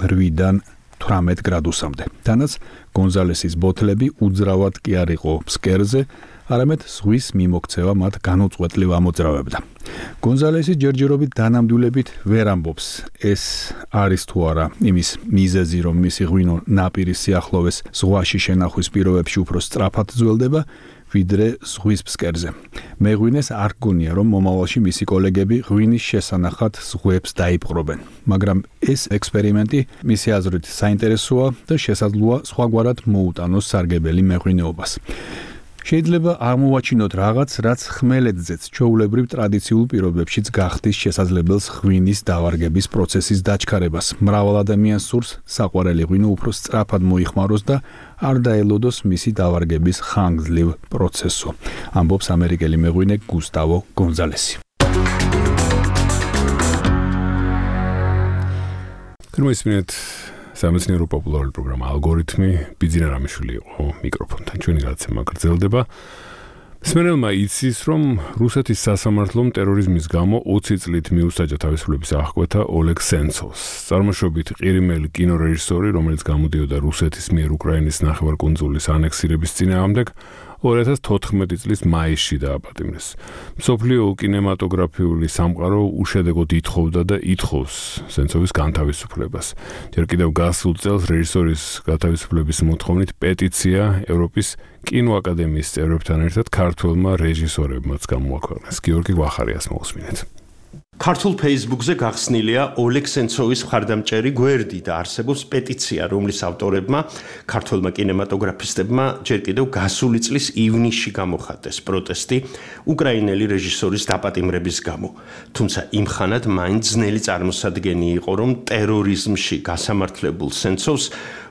რვიდან თვრამეტ გრადუსამდე. თანაც გონზალესის ბოთლები უძრავად კი არ იყო ფსკერზე, არამედ ზღვის მიმოქცევა მათ განუწყვეტლივ ამოძრავებდა. გონზალესი ჯერჯერობით დანამდვილებით ვერ ამბობს, ეს არის თუ არა იმის მიზეზი, რომ მისი ღვინო ნაპირის სიახლოვეს ზღვაში შენახვის პირობებში უფრო სწრაფად ძველდება, ვიდრე ზღვის ფსკერზე. მეღვინეს არ გონია, რომ მომავალში მისი კოლეგები ღვინის შესანახად ზღვებს დაიპყრობენ. მაგრამ ეს ექსპერიმენტი მისი აზრით საინტერესოა და შესაძლოა სხვაგვარად მოუტანოს სარგებელი მეღვინეობას. შეიძლება აღმოვაჩინოთ რაღაც, რაც ხმელეთზეც ჩვეულებრივ ტრადიციულ პირობებშიც გახდის შესაძლებელს ღვინის დავარგების პროცესის დაჩქარებას. მრავალ ადამიანს სურს საყვარელი ღვინო უფრო სწრაფად მოიხმაროს და არ დაელოდოს მისი დავარგების ხანგრძლივ პროცესო, ამბობს ამერიკელი მეღვინე გუსტავო გონზალესი. გრმისმინეთ სამეცნიერო პოპულარული პროგრამა ალგორითმი, ბიძინა რამიშვილი იყო მიკროფონთან. ჩვენი გადაცემა გრძელდება. მსმენელმა იცის, რომ რუსეთის სასამართლომ ტერორიზმის გამო ოცი წლით მიუსაჯა თავისუფლების აღკვეთა ოლეგ სენცოვს. წარმოშობით ყირიმელი კინორეჟისორი, რომელიც გამოდიოდა რუსეთის მიერ უკრაინის ნახევარკუნძულის ანექსირების წინააღმდეგ, ორი ათას თოთხმეტი წლის მაისში დააპატიმრეს. მსოფლიო კინემატოგრაფიული სამყარო უშედეგოდ ითხოვდა და ითხოვს სენცოვის განთავისუფლებას. ჯერ კიდევ გასულ წელს რეჟისორის განთავისუფლების მოთხოვნით პეტიცია ევროპის კინოაკადემიის წევრებთან ერთად ქართველმა რეჟისორებმაც გამოაქვეყნეს. გიორგი ვახარიას მოусმინეთ. ქართულ Facebook-ზე გახსნილია ოლეგ სენცოვის მხარდამჭერი გვერდი და არსებობს პეტიცია, რომლის ავტორებმა ქართველმა კინემატოგრაფისტებმა ჯერ კიდევ გასული წლის ივნისში გამოხატეს პროტესტი უკრაინელი რეჟისორის დაპატიმრების გამო. თუმცა იმ ხანად მაინც ძნელი წარმოსადგენი იყო, რომ ტერორიზმში გასამართლებულ სენცოვს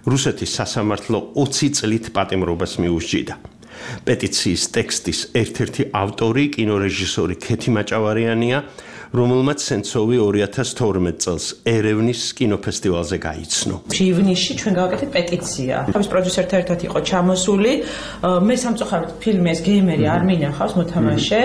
რუსეთის სასამართლო ოცი წლით პატიმრობას მიუსჯიდა. პეტიციის ტექსტის ერთ-ერთი ავტორი კინორეჟისორი ქეთი მაჭავარიანია, რომელმაც სენცოვი ორი ათას თორმეტ წელს ერევნის კინოფესტივალზე გაიცნო. ივნისში ჩვენ გავაკეთეთ პეტიცია. თავის პროდიუსერთან ერთად იყო ჩამოსული. მე სამწუხაროდ ფილმი ეს გეიმერი არ მინახავს მოთამაშე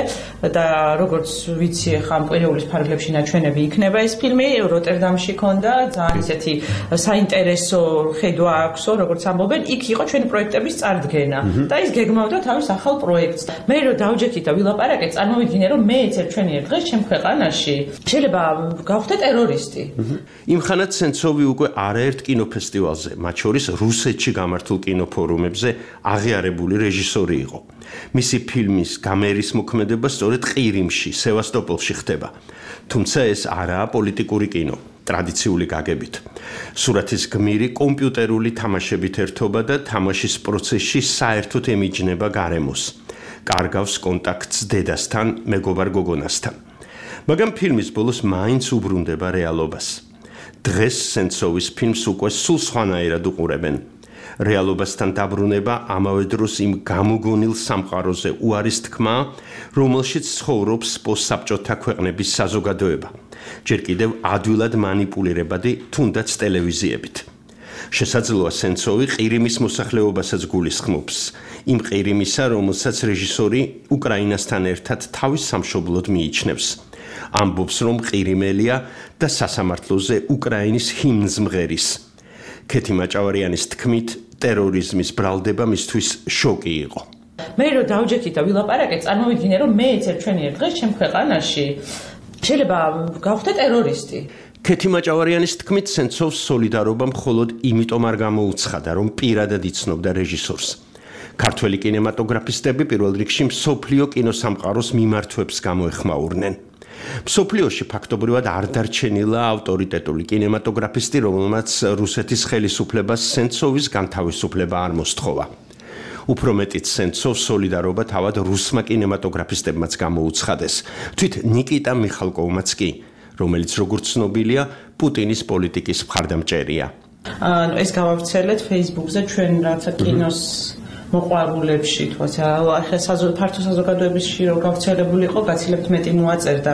და როგორც ვიცი ახლა ამ კვირეულის ფარგლებში ნაჩვენები იქნება ეს ფილმი როტერდამში ქონდა ძალიან ისეთი საინტერესო ხედვა აქვსო როგორც ამბობენ იქ იყო ჩვენი პროექტების წარდგენა და ის გეგმავდა თავის ახალ პროექტს. მე რო დავჯექით და ვილაპარაკეთ წარმოვიდგინე რომ მე ეცერ ჩვენი ერთ დღეს ჩემ ქვეყანაში შეიძლება გავხდე ტერორისტი. იმხანად სენცოვი უკვე არაერთ კინოფესტივალზე, მათ შორის რუსეთში გამართულ კინოფორუმებზე აღიარებული რეჟისორი იყო. მისი ფილმის გამერის მოქმედება სწორედ ყირიმში, სევასტოპოლში ხდება. თუმცა ეს არაა პოლიტიკური კინო, ტრადიციული გაგებით. სურათის გმირი კომპიუტერული თამაშებით ერთობა და თამაშის პროცესში საერთოდ ემიჯნება გარემოს. კარგავს კონტაქტს დედასთან, მეგობარ გოგონასთან. მაგრამ ფილმის ბოლოს მაინც უბრუნდება რეალობას. დღეს სენცოვის ფილმს უკვე სულ სხვანაირად უყურებენ. რეალობასთან დაბრუნება ამავე დროს იმ გამოგონილ სამყაროზე უარის თქმა, რომელშიც ცხოვრობს პოსტსაბჭოთა ქვეყნების საზოგადოება. ჯერ კიდევ ადვილად მანიპულირებადი თუნდაც ტელევიზიებით. შესაძლოა სენცოვი ყირიმის მოსახლეობასაც გულისხმობს. იმ ყირიმისა, რომელსაც რეჟისორი უკრაინასთან ერთად თავის სამშობლოდ მიიჩნევს. ამბობს რომ ყირიმელია და სასამართლოზე უკრაინის ჰიმნს მღერის. ქეთი მაჭავარიანის თქმით, ტერორიზმის ბრალდება მისთვის შოკი იყო. მე რო დავჯექით და ვილაპარაკეთ, წარმოვიდგინე რომ მე ეცერ ჩვენი ერთ დღეს ჩემ ქვეყანაში შეიძლება გავხდე ტერორისტი. ქეთი მაჭავარიანის თქმით, სენცოვს სოლიდარობა მხოლოდ იმიტომ არ გამოუცხადა, რომ პირადად იცნობდა რეჟისორს. ქართველი კინემატოგრაფისტები პირველ რიგში მსოფლიო კინოსამყაროს მიმართვებს გამოეხმაურნენ. მსოფლიოში ფაქტობრივად არ დარჩენილა ავტორიტეტული კინემატოგრაფისტი, რომელმაც რუსეთის ხელისუფლებას სენცოვის განთავისუფლება არ მოსთხოვა. უფრო მეტიც სენცოვს სოლიდარობა თავად რუსმა კინემატოგრაფისტებმაც გამოუცხადეს. თვით ნიკიტა მიხალკოვმაც კი, რომელიც როგორც ცნობილია, პუტინის პოლიტიკის მხარდამჭერია. ანუ ეს გავავრცელეთ Facebook-ზე ჩვენ რაცა კინოს მოყვარულებში თქოს ახლა ფართო საზოგადოებაში რო გავრცელებული იყო გაცილებთ მეტი მოაწერდა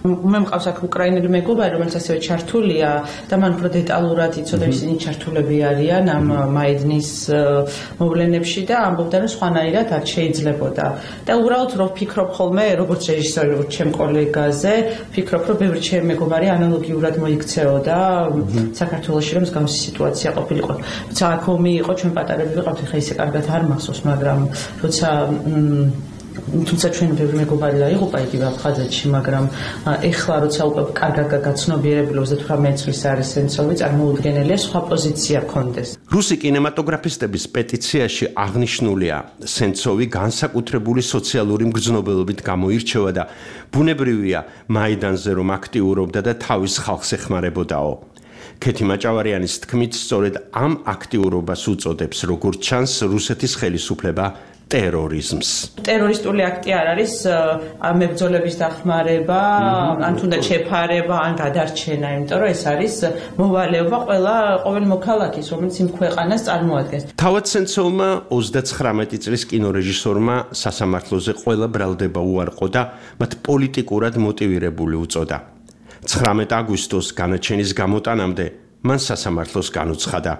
მე მყავს აქ უკრაინელი მეგობარი რომელიც ასევე ჩართულია და მან უფრო დეტალურად იცოდა ისინი ჩართულები არიან ამ მაიდნის მოვლენებში და ამბობდა რომ სხვანაირად არ შეიძლებოდა და უბრალოდ რო ვფიქრობ ხოლმე როგორც რეჟისორი როგორც ჩემ კოლეგაზე ვფიქრობ რომ ბევრი ჩემი მეგობარი ანალოგიურად მოიქცეოდა საქართველოში რომ მსგავსი სიტუაცია ყოფილიყო თუმცა აქ ომი იყო ჩვენ პატარები ვიყავთ ხა ისე კარგად არ მახსოვს მაგრამ როცა თუმცა ჩვენ ბევრი მეგობარი დაიღუპა იგივე აფხაზეთში მაგრამ ეხლა როცა უკვე კარგად გაცნობიერებული ოცდაოთხ წლის არის სენცოვი წარმოუდგენელია სხვა პოზიცია ქონდეს რუსი კინემატოგრაფისტების პეტიციაში აღნიშნულია სენცოვი განსაკუთრებული სოციალური მგრძნობელობით გამოირჩევა და ბუნებრივია მაიდანზე რომ აქტიურობდა და თავის ხალხს ეხმარებოდაო ქეთი მაჭავარიანის თქმით სწორედ ამ აქტიურობას უწოდებს როგორც ჩანს რუსეთის ხელისუფლება ტერორიზმს. ტერორისტული აქტი არ არის მებრძოლების დახმარება, ან თუნდაც შეფარება, ან გადარჩენა, იმიტომ რომ ეს არის მოვალეობა ყველა ყოველ მოქალაქის, რომელიც იმ ქვეყანას წარმოადგენს. თავად სენცოვმა ოცდაცხრამეტი წლის კინორეჟისორმა სასამართლოზე ყველა ბრალდება უარყო და მათ პოლიტიკურად მოტივირებული უწოდა. ცხრამეტ აგვისტოს განაჩენის გამოტანამდე მან სასამართლოს განუცხადა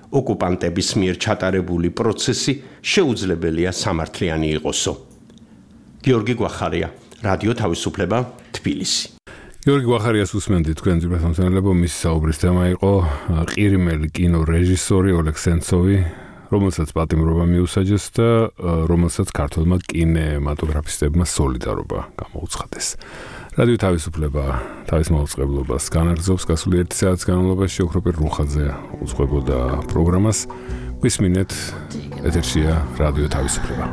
ოკუპანტების მიერ ჩატარებული პროცესი შეუძლებელია სამართლიანი იყოსო. გიორგი გვახარია, რადიო თავისუფლება, თბილისი. გიორგი გვახარიას უსმენთ თქვენ ძირფასამსმენელებო, მის საუბრის თემა იყო ყირიმელი კინორეჟისორი ოლეგ სენცოვი, რომელსაც პატიმრობა მიუსაჯეს და რომელსაც ქართველმა კინემატოგრაფისტებმა სოლიდარობა გამოუცხადეს. რადიო თავისუფლება თავის მაუწყებლობას განაგრძობს გასული ერთი საათის განმავლობაში ოქროპირ რუხაძე უძღვებოდა პროგრამას. გვისმინეთ ეთერშია რადიო თავისუფლება.